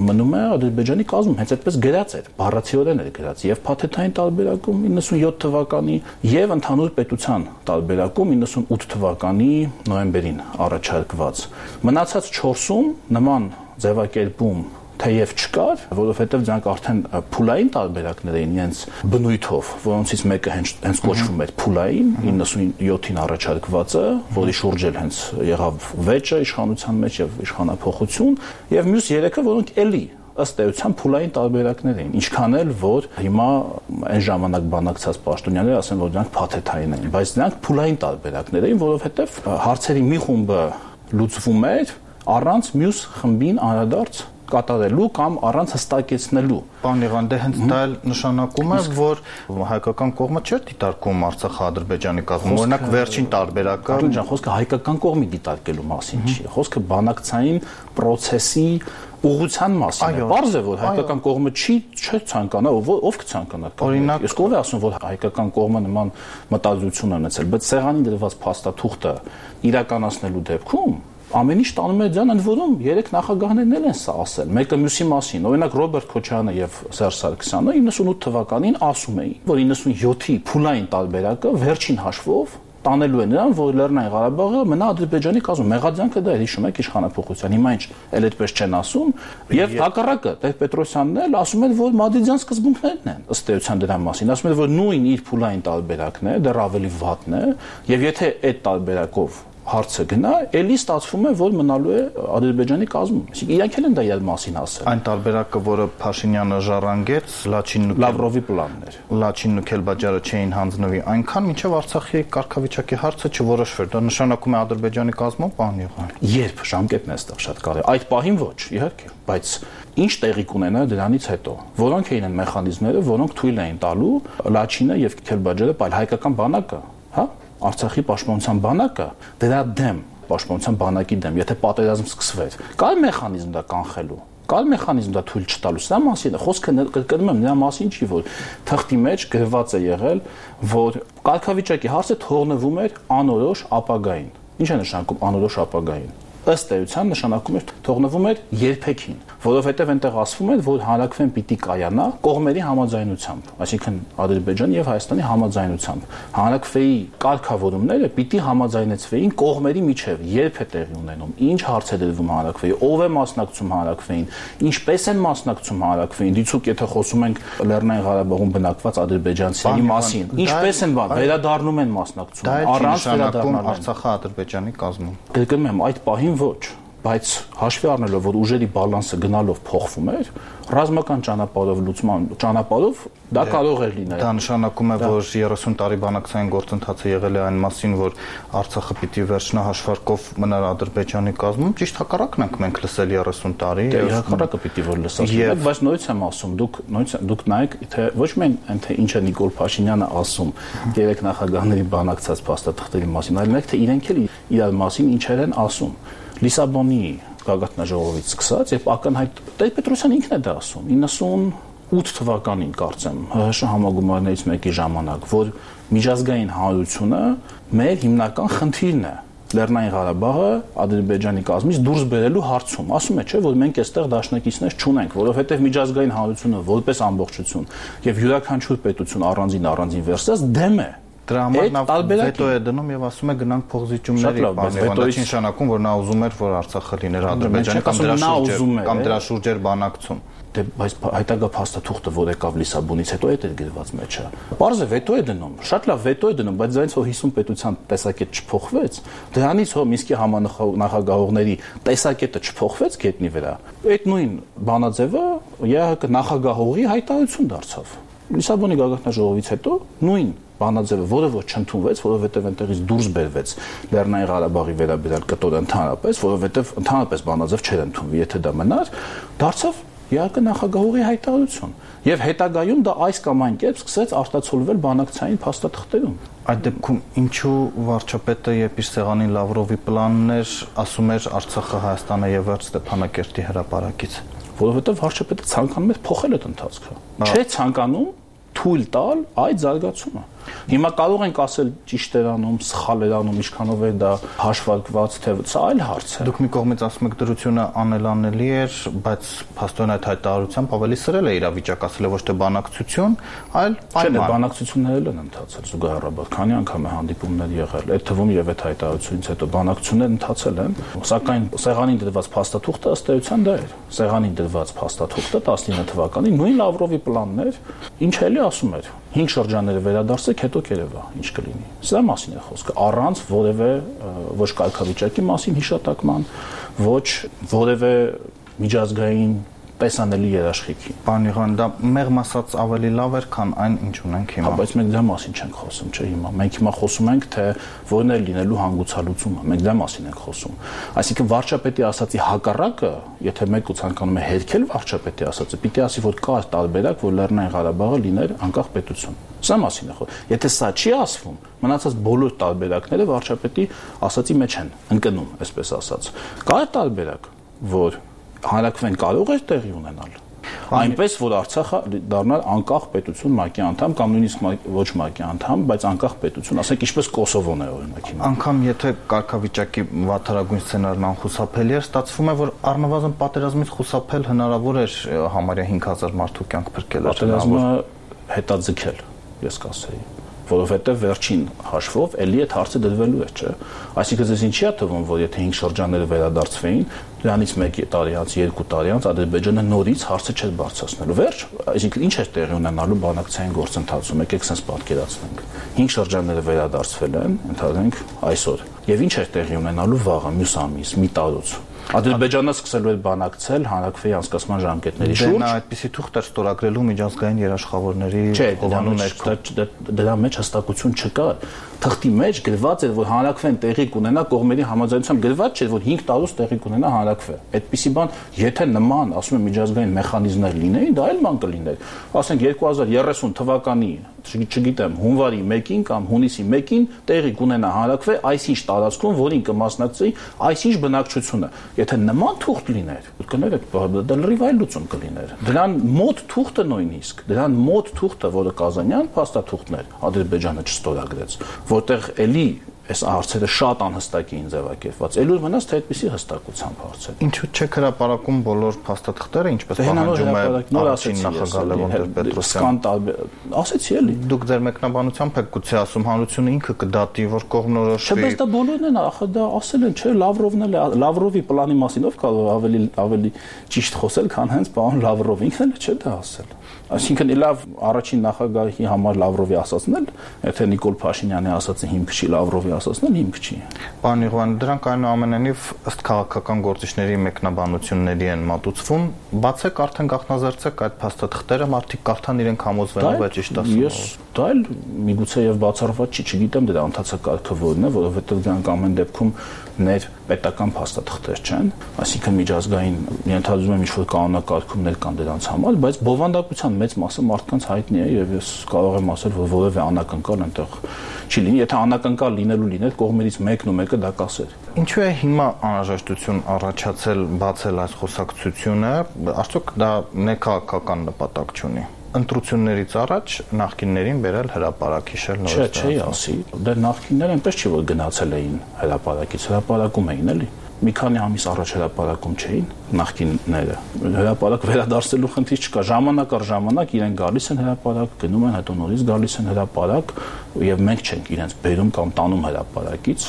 մնում է Ադրբեջանի կազմում հենց այդպես գրած էր բառացիորեն էր գրած եւ փաթեթային տարբերակում իննսունյոթ թվականի եւ ընդհանուր պետության տարբերակում իննսունութ թվականի նոյեմբերին առաջարկված մնացած չորսում նման ձևակերպում թեև չկար, որովհետև դրանք արդեն փուլային տարբերակներ էին իրենց բնույթով, որոնցից մեկը հենց հենց կոչվում էր փուլային իննսունյոթին առաջարկվածը, որի շուրջ էլ հենց եղավ վեճը իշխանության մեջ եւ իշխանափոխություն, եւ մյուս երեքը, որոնք էլի ըստ էության փուլային տարբերակներ էին, ինչքան էլ որ հիմա այն ժամանակ բանակցած պաշտոնյաները ասեն, որ դրանք փաթեթային էին, բայց դրանք փուլային տարբերակներ էին, որովհետև հարցերի մի խումբը լուծվում էր առանց մյուս խմբին անդրադարձ կատարելու կամ առանց հստակեցնելու։ Պարոն Եղան, դե հենց դա էլ նշանակում է, որ հայկական կողմը չէր դիտարկում Արցախը Ադրբեջանի կազմում։ Օրինակ վերջին տարբերակը, ջան, խոսքը հայկական կողմի դիտարկելու մասին չի, խոսքը բանակցային process-ի ուղղության մասին է։ Պարզ է, որ հայկական կողմը չի չէ ցանկանա, ով կցանկանա։ Օրինակ, ես կողմ եմ ասում, որ հայկական կողմը նման մտածություն ունեցել, բայց սեղանին դրված փաստաթուղթը իրականացնելու դեպքում ամեն ինչ տանում է ձյան, ընդ որում երեք նախագահներն էլ են սա ասել, մեկը մյուսի մասին։ Օրինակ Ռոբերտ Քոչարյանը եւ Սերժ Սարգսյանը իննսունութ թվականին ասում էին, որ իննսունյոթի փուլային տարբերակը վերջին հաշվով տանելու է նրան, որ Լեռնային Ղարաբաղը մնա Ադրբեջանի կազմում։ Մեղադրանքը դա է, հիշում եք իշխանափոխության։ Հիմա ինչ, էլ այդպես չեն ասում, եւ հակառակը Տեր-Պետրոսյանն էլ ասում են, որ մադրիդյան սկզբունքներն են ըստ էության դրա մասին։ Ասում են, որ նույն իր փուլային տարբերակն է, դեռ ավելի վատն է, եւ եթե այդ տարբերակով հարցը գնա, ելի ստացվում է, որ մնալու է Ադրբեջանի կազմում։ Այսինքն իրանք էլ են դա իր մասին ասել։ Այն տարբերակը, որը Փաշինյանը ժառանգեց, Լաչինն ու Լավրովի պլաններ։ Լաչինն ու Քելբաջարը չէին հանձնվի, այնքան մինչև Արցախի կարգավիճակի հարցը չորոշվեր։ Դա նշանակում է Ադրբեջանի կազմում, պարոն Եղան։ Երբ ժամկետն է այստեղ շատ կարևոր։ Այդ պահին ոչ, իհարկե, բայց ինչ տեղի կունենա դրանից հետո։ Որոնք էին այն մեխանիզմները, որոնք թույլ էին տալու Լաչինը եւ Քելբաջարը, այլ հայկական բանակը, հա, Արցախի պաշտպանության բանակը դրա դեմ, պաշտպանության բանակի դեմ, եթե պատերազմ սկսվեր, կար մեխանիզմ դա կանխելու, կար մեխանիզմ դա թույլ չտալու։ Սա մասին է, խոսքը կրկնում եմ, նրա մասին չի, որ թղթի մեջ գրված է եղել, որ կարգավիճակի հարցը թողնվում էր անորոշ ապագային։ Ինչ է նշանակում անորոշ ապագային։ Ըստ էության նշանակում էր թողնվում էր երբեքին, որովհետև այնտեղ ասվում էր, որ հանրակրվեն պիտի կայանա կողմերի համաձայնությամբ, այսինքն Ադրբեջանի եւ Հայաստանի համաձայնությամբ։ Հանրակրվեի կարգավորումները պիտի համաձայնեցվեին կողմերի միջև, երբ է տեղի ունենում, ինչ հարց է դրվում հանրակրվեի, ով է մասնակցում հանրակրվեին, ինչպես են մասնակցում հանրակրվեին, դիցուք եթե խոսում ենք Լեռնային Ղարաբաղում բնակված ադրբեջանցիների մասին, ինչպես են վերադառնում են մասնակցում, առանց վերադառնալու Արցախը Ադրբեջանի կազմում։ Կրկնում եմ, այդ պահին ոչ, բայց հաշվի առնելով, որ ուժերի բալանսը գնալով փոխվում էր, ռազմական ճանապարհով լուծման ճանապարհով դա կարող էր լինել։ Դա նշանակում է, որ երեսուն տարի բանակցային գործընթացը եղել է այն մասին, որ Արցախը պիտի վերջնահաշվարկով մնար Ադրբեջանի կազմում, ճիշտ հակառակն ենք մենք լսել երեսուն տարի։ Հակառակը պիտի որ լսած լինենք, բայց նույնց եմ ասում, դուք նույնց դուք նայեք, թե ոչ միայն այն թե ինչ է Նիկոլ Փաշինյանը ասում երեք նախագահների բանակցած փաստաթղթերի մասին, այլ մեկ թե իրենք էլ իրար մասին ինչեր են ասում։ Լիսաբոնի գագաթնաժողովից սկսած եւ ակնհայտ Տեր-Պետրոսյանը ինքն է դա ասում իննսունութ թվականին կարծեմ ՀՀՇ համագումարներից մեկի ժամանակ, որ միջազգային հանրությունը մեր հիմնական խնդիրն է Լեռնային Ղարաբաղը Ադրբեջանի կազմից դուրս բերելու հարցում։ Ասում է, չէ, որ մենք այստեղ դաշնակիցներ չունենք, որովհետեւ միջազգային հանրությունը որպես ամբողջություն եւ յուրաքանչյուր պետություն առանձին առանձին վերսած դեմ է։ Դրա համար նա վետո է դնում եւ ասում է գնանք փոխզիջումների, բանավանդա չի նշանակում, որ նա ուզում էր, որ Արցախը լիներ Ադրբեջանի կամ դրա շուրջ կամ դրա շուրջ էր բանակցում։ Դե բայց հայտագա փաստաթուղթը, որ եկավ Լիսաբոնից հետո այդ էր գրված մեջը։ Պարզ է վետո է դնում, շատ լավ վետո է դնում, բայց դրանից հո հիսուն պետության տեսակետ չփոխվեց։ Դրանից հո Մինսկի համանախագահողների տեսակետը չփոխվեց գետնի վրա։ Այդ նույն բանաձևը ԵԱՀԿ նախագահողի հայտարարություն դարձավ։ Լիսաբոնի գագաթնաժողովից հետո նույն բանաձևը, որը ոչ չընդունվեց, որովհետև այնտեղից դուրս բերվեց Լեռնային Ղարաբաղի վերաբերյալ կտորը ընդհանրապես, որովհետև ընդհանրապես բանաձև չէր ընդունվի, եթե դա մնար, դարձավ ԵԱՀԿ նախագահողի հայտարարություն։ Եվ հետագայում դա այս կամ այն կերպ սկսեց արտացոլվել բանակցային փաստաթղթերում։ Այդ դեպքում ինչու վարչապետը երբ իր սեղանին Լավրովի պլանն էր, ասում էր Արցախը Հայաստանը եւ վերջ Ստեփանակերտի հրապարակից, որովհետև վարչապետը ցանկանում էր փոխել այդ ընթացքը։ Չէ ցանկանում թույլ տալ այդ զարգացումը։ Հիմա կարող ենք ասել ճիշտ էր անում, սխալ էր անում, ինչքանով է դա հաշվարկված, թե սա այլ հարց է։ Դուք մի կողմից ասում եք դրությունը անելանելի էր, բայց փաստորեն այդ հայտարարությամբ ավելի սրել է իրավիճակացել ոչ թե բանակցություն, այլ պայման։ Չէ, բանակցություններն են ընթացել զուգահեռաբար, քանի անգամ է հանդիպումներ եղել, այդ թվում եւ այդ հայտարարությունից հետո բանակցություններ ընթացել են, սակայն սեղանին դրված փաստաթուղթը ըստ էության դա էր։ Սեղանին դրված փաստաթուղթը տասնինը թվականին նույն Լավրովի պլանն էր, ինչ էլի ասում էր։ Հինգ շրջանները վերադարձեք, հետո կերևա, ինչ կլինի։ Սրա մասին է խոսքը, առանց որևէ ոչ կարգավիճակի մասին հիշատակման, ոչ որևէ միջազգային տեսանելի երաշխիքի։ Պարոն Իղան, դա մեղմ ասած ավելի լավ էր, քան այն, ինչ ունենք հիմա։ Հա, բայց մենք դրա մասին չենք խոսում, չէ՞ հիմա։ Մենք հիմա խոսում ենք, թե որն է լինելու հանգուցալուծումը։ Մենք դրա մասին ենք խոսում։ Այսինքն վարչապետի ասացի հակառակը, եթե մեկը ցանկանում է հերքել վարչապետի ասածը, պիտի ասի, որ կա տարբերակ, որ Լեռնային Ղարաբաղը լիներ անկախ պետություն։ Սա մասին է խոսքը։ Եթե սա չի ասվում, մնացած բոլոր տարբերակները վարչապետի ասածի մեջ են ընկնում, այսպես ասած։ Կա տարբերակ, որ հանրաքվեն կարող էր տեղի ունենալ։ Այնպես որ Արցախը դառնալ անկախ պետություն ՄԱԿ-ի անդամ կամ նույնիսկ ոչ ՄԱԿ-ի անդամ, բայց անկախ պետություն, ասենք ինչպես Կոսովոն է օրինակ հիմա։ Անկամ եթե կարգավիճակի վատթարագույն սցենարն անխուսափելի էր, ստացվում է, որ առնվազն պատերազմից խուսափել հնարավոր էր համարյա հինգ հազար մարդու կյանք փրկել։ Պատերազմը հետաձգել, ես կասեի, որովհետև վերջին հաշվով էլի այդ հարցը դրվելու է, չէ՞։ Այսինքն ձեզ ինչի է թվում, որ եթե հինգ շրջանները վերադարձվեին, դրանից մեկ տարի անց, երկու տարի անց Ադրբեջանը նորից հարցը չէր բարձրացնելու։ Վերջ, այսինքն ինչ էր տեղի ունենալու բանակցային գործընթացում, եկեք sense պատկերացնենք։ հինգ շրջանները վերադարձվել են, ընդհանրենք այսօր։ Եվ ինչ էր տեղի ունենալու վաղը, մյուս ամիս, մի տարուց։ Ադրբեջանը սկսելու էր բանակցել հանրաքվեի անցկացման ժամկետների շուրջ։ Դա այդպիսի թուղթ էր ստորագրելու միջազգային երաշխավորների հովանու ներքո։ Դրա մեջ հստակություն չկար։ Թղթի մեջ գրված էր, որ հանրաքվեն տեղի կունենա կողմերի համաձայնությամբ, գրված չէր, որ հինգ տարուց տեղի կունենա հանրաքվե։ Այդպիսի բան, եթե նման, ասում եմ, միջազգային մեխանիզմներ լինեին, դա այլ բան կլիներ։ Ասենք երկու հազար երեսուն թվականի, չգիտեմ, հունվարի մեկին կամ հունիսի մեկին տեղի կունենա հանրաքվե այսինչ տարածքում, որին կմասնակցեի այսինչ բնակչությունը։ Եթե նման թուղթ լիներ, կներ դա լրիվ այլ լուծում կլիներ։ Դրան մոտ թուղթը նույնիսկ, դրան մոտ թուղթը, որը Կազանյան փաստաթուղթներ Ադրբեջանը չստորագրեց, որտեղ էլի այս հարցերը շատ անհստակ էին ձևակերպված։ Էլուր մնաց թե այդպիսի հստակությամբ հարցեր։ Ինչու՞ չեք հրապարակում բոլոր փաստաթղթերը, ինչպես պահանջում է առաջին նախագահ Լևոն Տեր-Պետրոսյանը։ Ասեցի էլի։ Դուք ձեր մեկնաբանությամբ եք գուցե ասում հանրությունը ինքը կդատի, որ կողմնորոշվի։ Չէ, բայց դա բոլորն են, ախր դա ասել են, չէ, Լավրովն էլ է, Լավրովի պլանի մասին ով կարող ավելի ավելի ճիշտ խոսել, քան հենց պարոն Լավրովը, ինքն էլ չէ դա ասել։ Այսինքն լավ առաջին նախագահի համար Լավրովի ասածն էլ, եթե Նիկոլ Փաշինյանի ասածը հիմք չի, Լավրովի ասածն էլ հիմք չի։ Պարոն Իղան, դրանք այնուամենայնիվ ըստ քաղաքական գործիչների մեկնաբանությունների են մատուցվում, բացեք արդեն գաղտնազերծեք այդ փաստաթղթերը, մարդիկ կարդան իրենք համոզվեն, բայց ճիշտ ասում։ Ես դա էլ միգուցե եւ բացառված չի, չգիտեմ դրա ընթացակարգը որն է, որովհետեւ դրանք ամեն դեպքում ներ պետական փաստաթղթեր չեն, այսինքն միջազգային ենթադրում եմ ինչ-որ կանոնակարգումներ կան դրանց համար, բայց բովանդակության մեծ մասը մարդկանց հայտնի է եւ ես կարող եմ ասել, որ որևէ անակնկալ այնտեղ չի լինի, եթե անակնկալ լինելու լիներ, կողմերից մեկն ու մեկը դա կասեր։ Ինչու է հիմա անհրաժեշտություն առաջացել բացել այս խոսակցությունը, արդյոք դա ներքաղաքական նպատակ չունի։ Ընտրություններից առաջ նախկիններին բերել հրապարակ հիշել նորից։ Չէ, չի ասի։ Դե նախկինները այնպես չի որ գնացել էին հրապարակից, հրապարակում էին էլի։ Մի քանի ամիս առաջ հրապարակում չէին նախկինները։ Հրապարակ վերադարձելու խնդիր չկա։ Ժամանակ առ ժամանակ իրեն գալիս են հրապարակ, գնում են, հետո նորից գալիս են հրապարակ, եւ մենք չենք իրենց բերում կամ տանում հրապարակից,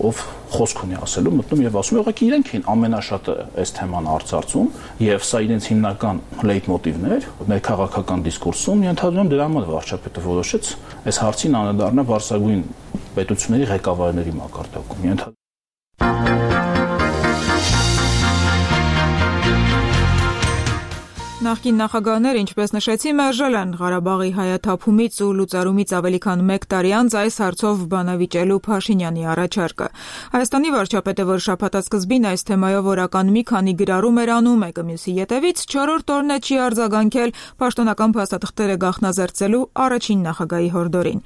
ով խոսք ունի ասելու, մտնում եւ ասում ուղղակի իրենք են ամենաշատը այս թեման արծարծում եւ սա իրենց հիմնական լեյտմոտիվն էր ներքաղաքական դիսկուրսում։ Ենթադրում եմ դրա համար վարչապետը որոշեց այս հարցին անդրադառնալ վարսագույն պետությունների ղեկավարների մակարդակում։ Նախկին նախագահները, ինչպես նշեցի, մերժել են Ղարաբաղի հայաթափումից ու լուծարումից ավելի քան մեկ տարի անց այս հարցով բանավիճելու Փաշինյանի առաջարկը։ Հայաստանի վարչապետը, որ շաբաթասկզբին այս թեմայով օրական մի քանի գրառում էր անում մեկը մյուսի ետևից, չորրորդ օրն է չի արձագանքել պաշտոնական փաստաթղթերը գաղտնազերծելու առաջին նախագահի հորդորին։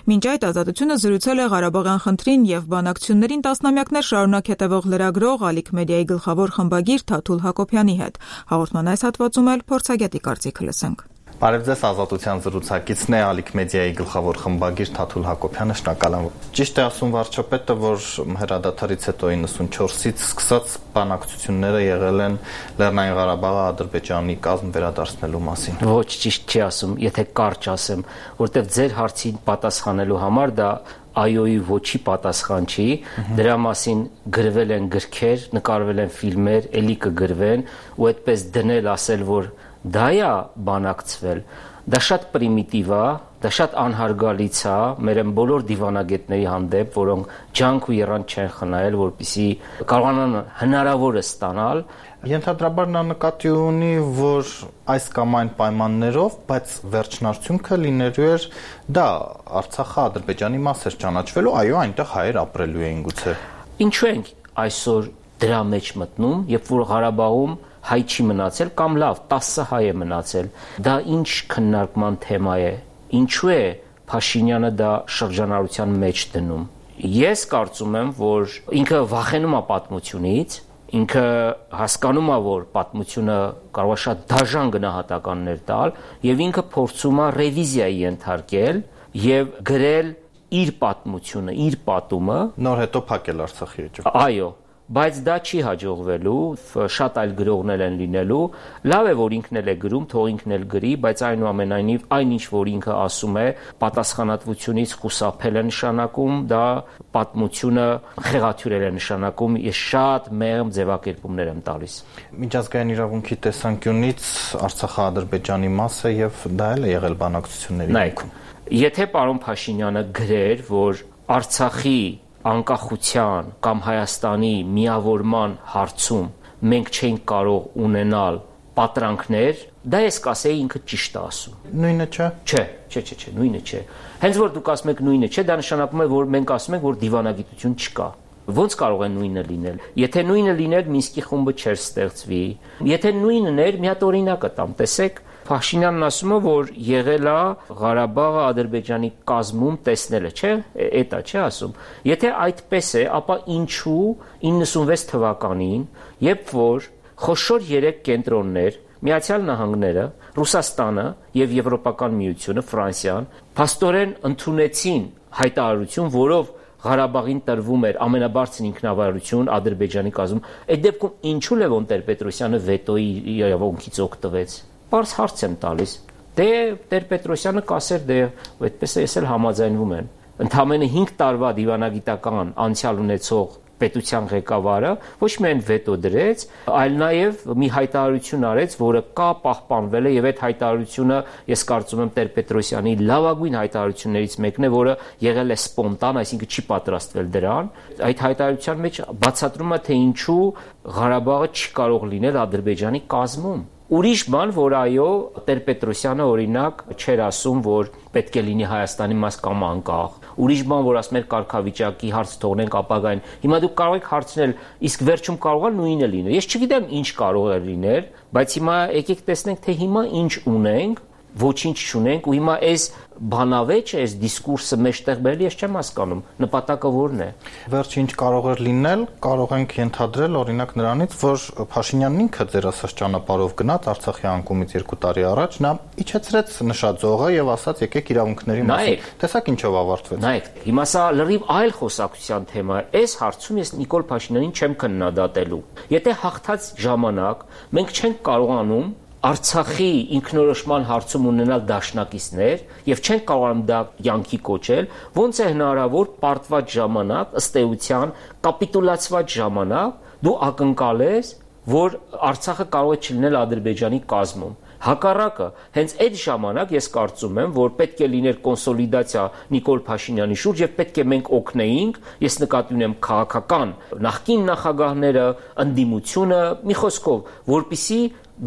Մինչ այդ ազատությունը զրուցել է Ղարաբաղյան խնդրին եւ բանակցություններին տասնամյակներ շարունակ հետևող լրագրող Ալիք մեդիայի գլխավոր խմբագիր Թաթուլ Հակոբյանի հետ։ Հաղորդման այս հատվածում էլ փորձագետի կարծիքը լսենք։ Բարև ձեզ, Ազատության զրուցակիցն է Ալիք մեդիայի գլխավոր խմբագիր Թաթուլ Հակոբյանը, շնորհակալ եմ։ Ճիշտ է ասում վարչապետը, որ հրադադարից հետո իննսունչորսից սկսած բանակցությունները եղել են Լեռնային Ղարաբաղը Ադրբեջանի կազմ վերադարձնելու մասին։ Ոչ, ճիշտ չի ասում, եթե կարճ ասեմ, որտեղ ձեր հարցին պատասխանելու համար դա այոյի ոչի պատասխան չի, դրա մասին գրվել են գրքեր, նկարվել են ֆիլմեր, էլի կգրվեն, ու այդպես դնել ասել, որ դա է բանակցվել, դա շատ պրիմիտիվ է, դա շատ անհարգալից է մեր բոլոր դիվանագետների հանդեպ, որոնք ջանք ու եռանդ չեն խնայել, որպեսզի կարողանան հնարավորը ստանալ։ Ենթադրաբար նա նկատի ունի, որ այս կամ այն պայմաններով, բայց վերջնարդյունքը լինելու էր դա Արցախը Ադրբեջանի մաս էր ճանաչվելու, այո, այնտեղ հայեր ապրելու էին գուցե։ Ինչու ենք այսօր դրա մեջ մտնում, երբ որ Ղարաբաղում հայ չի մնացել կամ լավ տասը հայ է մնացել, դա ինչ քննարկման թեմա է, ինչու է Փաշինյանը դա շրջանառության մեջ դնում։ Ես կարծում եմ, որ ինքը վախենում է պատմությունից, ինքը հասկանում է, որ պատմությունը կարող է շատ դաժան գնահատականներ տալ, եւ ինքը փորձում է ռևիզիայի ենթարկել եւ գրել իր պատմությունը, իր պատումը, նոր հետո փակել Արցախի էջը։ Այո, բայց դա չի հաջողվելու, շատ այլ գրողներ են լինելու, լավ է, որ ինքն էլ է գրում, թող ինքն էլ գրի, բայց այնուամենայնիվ այն ինչ որ ինքը ասում է, պատասխանատվությունից խուսափել է նշանակում, դա պատմությունը խեղաթյուրել է նշանակում, ես շատ մեղմ ձևակերպումներ եմ տալիս։ Միջազգային իրավունքի տեսանկյունից Արցախը Ադրբեջանի մաս է եւ դա էլ է եղել բանակցությունների ներքո։ Եթե պարոն Փաշինյանը գրեր, որ Արցախի անկախության կամ Հայաստանի միավորման հարցում մենք չենք կարող ունենալ պատրանքներ, դա ես կասեի ինքը ճիշտ է ասում։ Նույնը չէ։ Չէ, չէ, չէ, չէ, նույնը չէ։ Հենց որ դուք ասում եք նույնը չէ, դա նշանակում է, որ մենք ասում ենք, որ դիվանագիտություն չկա։ Ոնց կարող է նույնը լինել։ Եթե նույնը լիներ, Մինսկի խումբը չէր ստեղծվի։ Եթե նույնն էր, մի հատ օրինակ կտամ, տեսեք, Փաշինյանն ասում է, որ եղել է Ղարաբաղը Ադրբեջանի կազմում տեսնելը, չէ՞, էտա չէ ասում։ Եթե այդպես է, ապա ինչու իննսունվեց թվականին, երբ որ խոշոր երեք կենտրոններ, Միացյալ Նահանգները, Ռուսաստանը եւ Եվրոպական միությունը, Ֆրանսիան, փաստորեն ընդունեցին հայտարարություն, որով Ղարաբաղին տրվում էր ամենաբարձր ինքնավարություն Ադրբեջանի կազմում, այդ դեպքում ինչու Լևոն Տեր-Պետրոսյանը վետոյի իրավունքից օգտվեց։ Պարզ հարց եմ տալիս։ Դե Տեր-Պետրոսյանը կասեր, դե այդպես է, ես էլ համաձայնվում եմ։ Ընդամենը հինգ տարվա դիվանագիտական անցյալ ունեցող պետության ղեկավարը ոչ միայն վետո դրեց, այլ նաև մի հայտարարություն արեց, որը կա պահպանվել է եւ այդ հայտարարությունը ես կարծում եմ Տեր-Պետրոսյանի լավագույն հայտարարություններից մեկն է, որը եղել է սպոնտան, այսինքն չի պատրաստվել դրան։ Այդ հայտարարության մեջ բացատրում է, թե ինչու Ղարաբաղը չի կարող լինել Ադրբեջանի կազմում։ Ուրիշ բան, որ այո, Տեր-Պետրոսյանը օրինակ չէր ասում, որ պետք է լինի Հայաստանի մաս կամ անկախ։ Ուրիշ բան, որ ասում էր կարգավիճակի հարց թողնենք ապագային։ Հիմա դուք կարող եք հարցնել, իսկ վերջում կարող է նույնը լինել։ Ես չգիտեմ ինչ կարող է լինել, բայց հիմա եկեք տեսնենք, թե հիմա ինչ ունենք, ոչինչ չունենք ու հիմա այս բանավեճը, այս դիսկուրսը մեջտեղ բերել, ես չեմ հասկանում, նպատակը որն է։ Վերջը ինչ կարող էր լինել, կարող ենք ենթադրել օրինակ նրանից, որ Փաշինյանն ինքը ձեր ասած ճանապարհով գնաց Արցախի անկումից երկու տարի առաջ, նա իջեցրեց նշաձողը եւ ասաց եկեք իրավունքների մասին։ Տեսակ ինչով ավարտվեց։ Նայեք, հիմա սա լրիվ այլ խոսակցության թեմա է։ Այս հարցում ես Նիկոլ Փաշինյանին չեմ քննադատելու։ Եթե հաղթած ժամանակ մենք չենք կարողանում Արցախի ինքնորոշման հարցում ունենալ դաշնակիցներ եւ չեն կարողանում դա յանքի կոչել, ոնց է հնարավոր պարտված ժամանակ, ըստ էության կապիտուլացված ժամանակ դու ակնկալես, որ Արցախը կարող է չլինել Ադրբեջանի կազմում։ Հակառակը, հենց այդ ժամանակ ես կարծում եմ, որ պետք է լիներ կոնսոլիդացիա Նիկոլ Փաշինյանի շուրջ եւ պետք է մենք օգնեինք, ես նկատի ունեմ քաղաքական նախկին նախագահները, ընդդիմությունը, մի խոսքով, որպիսի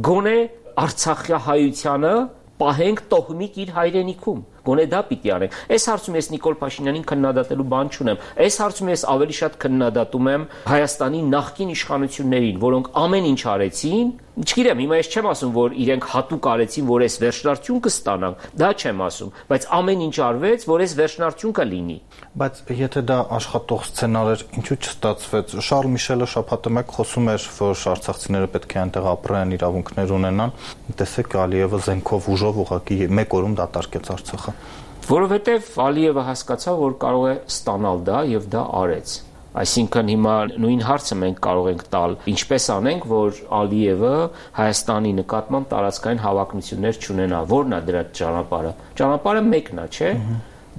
գոնե Արցախահայությանը պահենք տոհմիկ իր հայրենիքում։ Գոնե դա պիտի անենք։ Այս հարցում ես Նիկոլ Փաշինյանին քննադատելու բան չունեմ։ Այս հարցում ես ավելի շատ քննադատում եմ Հայաստանի նախկին իշխանություններին, որոնք ամեն ինչ արեցին։ Չգիտեմ, հիմա ես չեմ ասում, որ իրենք հատուկ արեցին, որ այս վերջնարդյուն կստանան։ Դա չեմ ասում, բայց ամեն ինչ արվեց, որ այս վերջնարդյուն կլինի։ Բայց եթե դա աշխատող սցենար էր, ինչու չստացվեց։ Շարլ Միշելը շաբաթը մեկ խոսում էր, որ արցախցիները պետք է այնտեղ ապրեն, իրավունքներ ունենան։ Տեսեք, Ալիևը զենքով ուժով ուղղակի մեկ օրում դատարկեց Արցախը։ Որովհետև Ալիևը հասկացավ, որ կարող է ստանալ դա եւ դա արեց։ Այսինքն հիմա նույն հարցը մենք կարող ենք տալ, ինչպես անենք, որ Ալիևը Հայաստանի նկատմամբ տարածքային հավակնություններ չունենա, որն է դրա ճանապարհը։ Ճանապարհը մեկն է, չէ՞։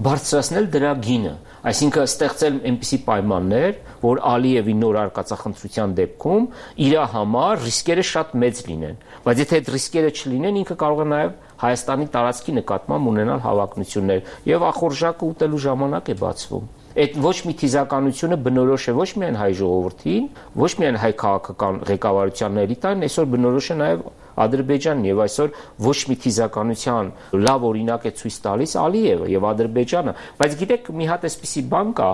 Բարձրացնել դրա գինը, այսինքն ստեղծել այնպիսի պայմաններ, որ Ալիևի նոր արկածախնդրության դեպքում իր համար ռիսկերը շատ մեծ լինեն, բայց եթե այդ ռիսկերը չլինեն, ինքը կարող է նաև Հայաստանի տարածքի նկատմամբ ունենալ հավակնություններ եւ ախորժակը ուտելու ժամանակ է բացվում։ Այդ ոչ մի թիզականությունը բնորոշ է ոչ միայն հայ ժողովրդին, ոչ միայն հայ քաղաքական ղեկավարությանն էլիտային, այսօր բնորոշ է նաև Ադրբեջանն եւ այսօր ոչ մի թիզականության լավ օրինակ է ցույց տալիս Ալիևը եւ Ադրբեջանը, բայց գիտեք մի հատ էսպիսի բան կա,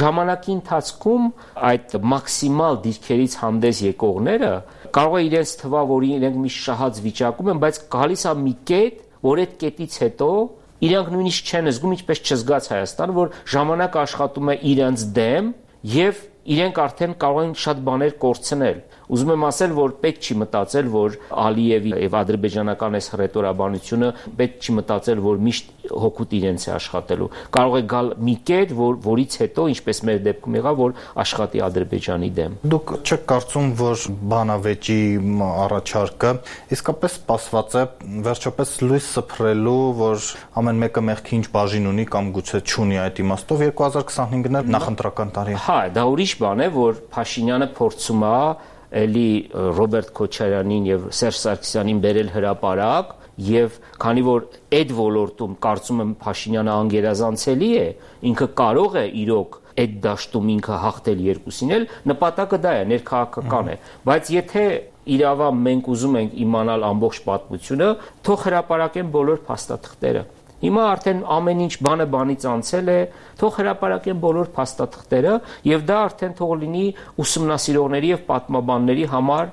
ժամանակի ընթացքում այդ մաքսիմալ դիրքերից հանդես եկողները կարող է իրենց թվա, որ իրենք մի շահած վիճակում են, բայց գալիս է մի կետ, որ այդ կետից հետո իրանք նույնիսկ չեն զգում, ինչպես չզգաց Հայաստանը, որ ժամանակը աշխատում է իրենց դեմ եւ իրենք արդեն կարող են շատ բաներ կորցնել։ Ուզում եմ ասել, որ պետք չի մտածել, որ Ալիևի եւ ադրբեջանական այս հռետորաբանությունը պետք չի մտածել, որ միշտ հոգուտ իրենց է աշխատելու։ Կարող է գալ մի կետ, որ որից հետո, ինչպես մեր դեպքում եղավ, որ աշխատի Ադրբեջանի դեմ։ Դուք չեք կարծում, որ բանավեճի առաջարկը իսկապես սպասված է վերջապես լույս սփռելու, որ ամեն մեկը մեղքի ինչ բաժին ունի կամ գուցե չունի այդ իմաստով երկու հազար քսանհինգն էլ նախընտրական տարի է։ Հա, դա ուրիշ բան է, որ Փաշինյանը փորձում է էլի Ռոբերտ Քոչարյանին եւ Սերժ Սարգսյանին բերել հրապարակ եւ քանի որ այդ ոլորտում կարծում եմ Փաշինյանը անգերազանցելի է, ինքը կարող է իրոք այդ դաշտում ինքը հաղթել երկուսին էլ, նպատակը դա է, ներքաղաքական է, բայց եթե իրավա մենք ուզում ենք իմանալ ամբողջ պատմությունը, թող հրապարակեն բոլոր փաստաթղթերը։ Հիմա արդեն ամեն ինչ բանը բանից անցել է, թող հրապարակեն բոլոր փաստաթղթերը եւ դա արդեն թող լինի ուսումնասիրողների եւ պատմաբանների համար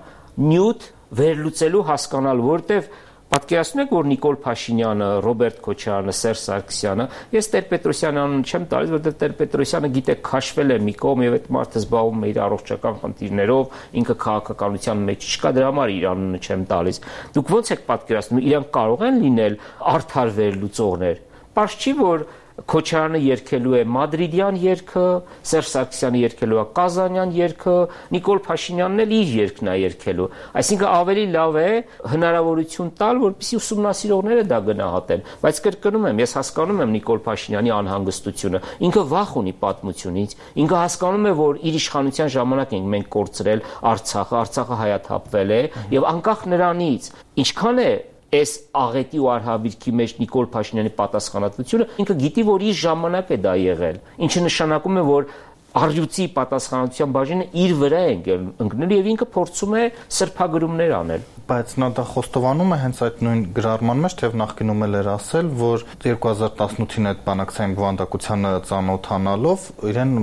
նյութ վերլուծելու հասկանալ, որտեւ պատկերացնում եք, որ Նիկոլ Փաշինյանը, Ռոբերտ Քոչարյանը, Սերժ Սարգսյանը, ես Տեր-Պետրոսյանի անունը չեմ տալիս, որտեղ Տեր-Պետրոսյանը գիտեք քաշվել է մի կողմ եւ այդ մարդը զբաղվում է իր առողջական խնդիրներով, ինքը քաղաքականության մեջ չկա, դրա համար իր անունը չեմ տալիս։ Դուք ո՞նց եք պատկերացնում, իրանք կարող են լինել արդար վերլուծողներ։ Պարզ չի, որ Քոչարյանը երգելու է մադրիդյան երգը, Սերժ Սարգսյանը երգելու է կազանյան երգը, Նիկոլ Փաշինյանն էլ իր երգն է երգելու։ Այսինքն ավելի լավ է հնարավորություն տալ, որպեսզի ուսումնասիրողները դա գնահատեն։ Բայց կրկնում եմ, ես հասկանում եմ Նիկոլ Փաշինյանի անհանգստությունը։ Ինքը վախ ունի պատմությունից։ Ինքը հասկանում է, որ իր իշխանության ժամանակ ենք մենք կորցրել Արցախը, Արցախը հայաթափվել է եւ անկախ նրանից ինչքան է այս աղետի ու արհավիրքի մեջ Նիկոլ Փաշինյանի պատասխանատվությունը, ինքը գիտի, որ իր ժամանակ է դա եղել, ինչը նշանակում է, որ առյուծի պատասխանատվության բաժինը իր վրա է ընկնել եւ ինքը փորձում է սրբագրումներ անել։ Բայց նա դա խոստովանում է հենց այդ նույն գրառման մեջ, թեև նախկինում էլ էր ասել, որ երկու հազար տասնութին այդ բանակցային բովանդակությանը ծանոթանալով իրեն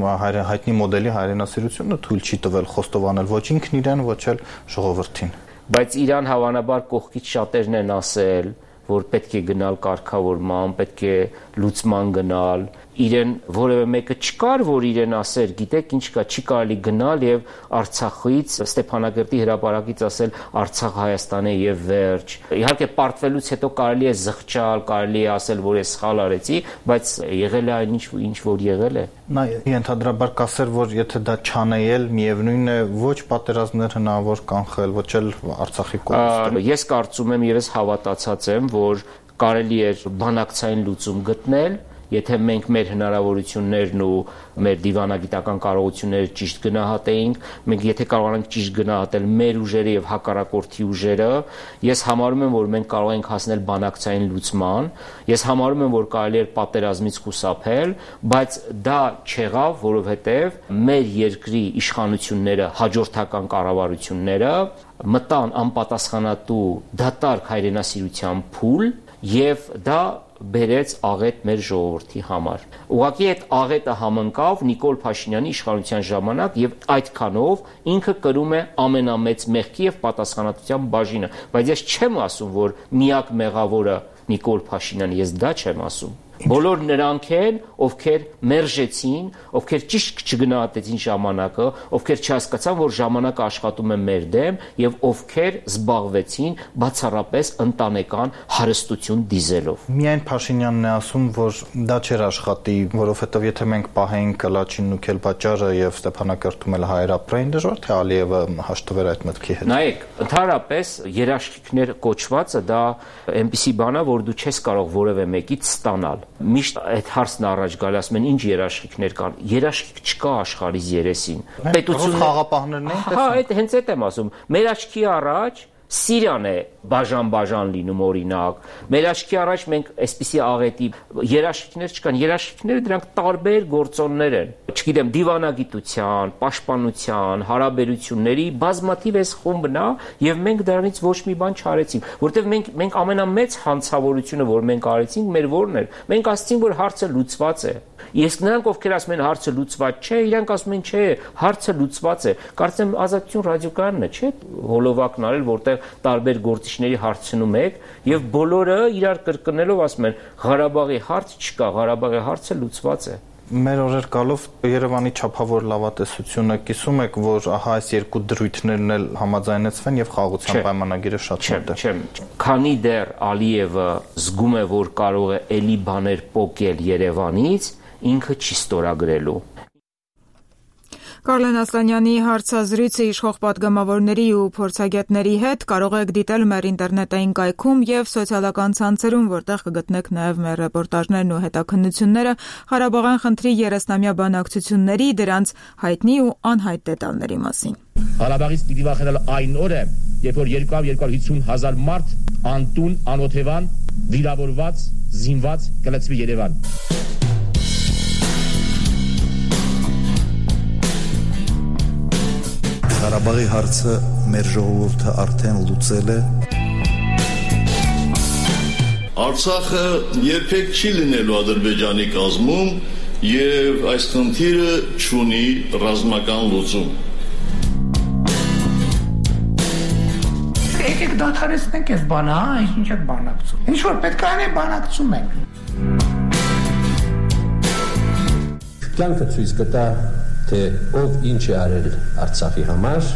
հայտնի մոդելի հայրենասիրությունը թույլ չի տվել խոստովանել ոչ ինքն իրեն, ոչ էլ ժողովրդին։ Բայց իրան հավանաբար կողքից շատերն են ասել, որ պետք է գնալ կարգավորման, պետք է լուծման գնալ, իրեն որևէ մեկը չկար, որ իրեն ասեր, գիտեք ինչ կա, չի կարելի գնալ եւ Արցախից Ստեփանագերտի հրապարակից ասել Արցախ Հայաստան է եւ վերջ։ Իհարկե պարտվելուց հետո կարելի է զղջալ, կարելի է ասել, որ ես սխալ արեցի, բայց եղել է այն ինչ ինչ որ եղել է։ Նա ենթադրաբար կասեր, որ եթե դա չանեել, միևնույն է ոչ պատերազմներ հնարավոր կանխել, ոչ էլ Արցախի կորստը։ Ես կարծում եմ եւ ես հավատացած եմ, որ կարելի է բանակցային լուծում գտնել, եթե մենք մեր հնարավորություններն ու մեր դիվանագիտական կարողությունները ճիշտ գնահատեինք, մենք եթե կարողանանք ճիշտ գնահատել մեր ուժերը եւ հակառակորդի ուժերը, ես համարում եմ, որ մենք կարող ենք հասնել բանակցային լուծման, ես համարում եմ, որ կարելի է պատերազմից խուսափել, բայց դա չեղավ, որովհետեւ մեր երկրի իշխանությունները, հաջորդական կառավարությունները մտան անպատասխանատու դատարկ հայրենասիրության փուլ եւ դա բերեց աղետ մեր ժողովրդի համար։ Ուղղակի այդ աղետը համընկավ Նիկոլ Փաշինյանի իշխանության ժամանակ եւ այդքանով ինքը կրում է ամենամեծ մեղքի եւ պատասխանատվության բաժինը, բայց ես չեմ ասում, որ միակ մեղավորը Նիկոլ Փաշինյանը, ես դա չեմ ասում։ Բոլոր նրանք են, ովքեր մերժեցին, ովքեր ճիշտ չգնահատեցին ժամանակը, ովքեր չհասկացան, որ ժամանակը աշխատում է մեր դեմ եւ ովքեր զբաղվեցին բացառապես ընտանեկան հարստություն դիզելով։ Միայն Փաշինյանն է ասում, որ դա չէր աշխատի, որովհետեւ եթե մենք պահեինք Կլաչինն ու Քելբաճարը եւ Ստեփանակերտում էլ հայեր ապրեին, դժվար թե Ալիևը հաշտվեր այդ մտքի հետ։ Նայեք, ընդհանրապես երաշխիքներ կոչվածը դա այնպիսի բան է, որ դու չես կարող որևէ մեկից ստանալ։ Միշտ այդ հարցն առաջ գալի, ասում են ինչ երաշխիքներ կան։ Երաշխիք չկա աշխարհիս երեսին։ Պետություն խաղապահներն են, հա, այդ հենց այդ եմ ասում։ Մեր աչքի առաջ Սիրիան է բաժան-բաժան լինում օրինակ։ Մեր աչքի առաջ մենք այսպիսի աղետի երաշխիքներ չկան, երաշխիքները դրանք տարբեր գործոններ են։ Չգիտեմ, դիվանագիտության, պաշտպանության, հարաբերությունների բազմաթիվ էս խումբն է, եւ մենք դրանից ոչ մի բան չարեցինք, որտեղ մենք մենք ամենամեծ հանցավորությունը, որ մենք արեցինք, մեր որն էր։ Մենք ասացինք, որ հարցը լուծված է։ Իսկ նրանք, ովքեր ասում են հարցը լուծված չէ, իրանք ասում են չէ, հարցը լուծված է։ Կարծեմ Ազատություն ռադիոկայանն է, չէ՞, հոլովակն արել, որտեղ տարբեր գործիչների հարցնում եք, եւ բոլորը իրար կրկնելով ասում են Ղարաբաղի հարց չկա, Ղարաբաղի հարցը լուծված է։ Մեր օրեր գալով Երևանի չափավոր լավատեսությունը կիսում եք, որ ահա այս երկու դրույթներն էլ համաձայնեցվեն եւ խաղաղության պայմանագիրը շատ մոտ է։ Չէ, քանի դեռ Ալիևը զգում է, որ կարող է էլի բաներ պոկել Երևանից, ինքը չի ստորագրելու։ Կարլեն Ասլանյանի հարցազրույցը իշխող պատգամավորների ու փորձագետների հետ կարող եք դիտել մեր ինտերնետային կայքում եւ սոցիալական ցանցերում, որտեղ կգտնեք նաեւ մեր ռեպորտաժներն ու հետաքննությունները Ղարաբաղյան խնդրի երեսնամյա բանակցությունների, դրանց հայտնի ու անհայտ դետալների մասին։ Ղարաբաղից պիտի վախենալ այն օրը, երբ որ երկու հարյուր հիսուն հազար մարդ անտուն, անօթևան, վիրավորված, զինված կլցվի Երևան։ Ղարաբաղի հարցը մեր ժողովուրդը արդեն լուծել է։ Արցախը երբեք չի լինելու Ադրբեջանի կազմում եւ այս խնդիրը չունի ռազմական լուծում։ Եկեք դադարեցնենք այս բանը, հա, ինչ եք բանակցում։ Ինչ որ պետք է անենք, բանակցում ենք։ Կյանքը ցույց կտա, թե ով ինչ է արել Արցախի համար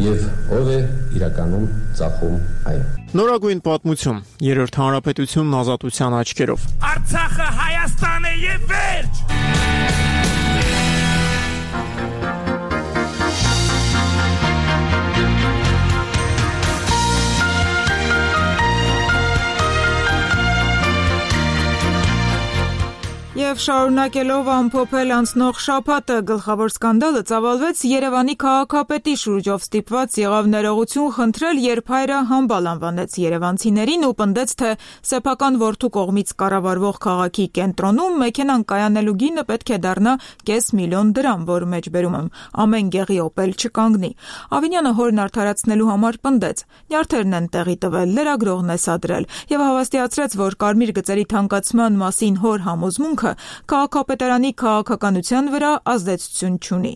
եւ ով է իրականում ծախում այն։ Նորագույն պատմություն, երրորդ հանրապետությունն ազատության աչքերով։ Արցախը Հայաստան է եւ վերջ։ Եվ շարունակելով ամփոփել անցնող շաբաթը, գլխավոր սկանդալը ծավալվեց Երևանի քաղաքապետի շուրջով ստիպված եղավ ներողություն խնդրել, երբ հայրը համբալ անվանեց երևանցիներին ու պնդեց, թե սեփական որդու կողմից կառավարվող քաղաքի կենտրոնում մեքենան կայանելու գինը պետք է դառնա կես միլիոն դրամ, որ մեջբերում եմ ամեն գեղի օպել չկանգնի։ Ավինյանը հորն արդարացնելու համար պնդեց. նյարդերն են տեղի տվել, լրագրողն է սադրել եւ հավաստիացրեց, որ կարմիր գծերի թանկացման մասին հոր համոզմունքը քաղաքապետարանի քաղաքականության վրա ազդեցություն չունի։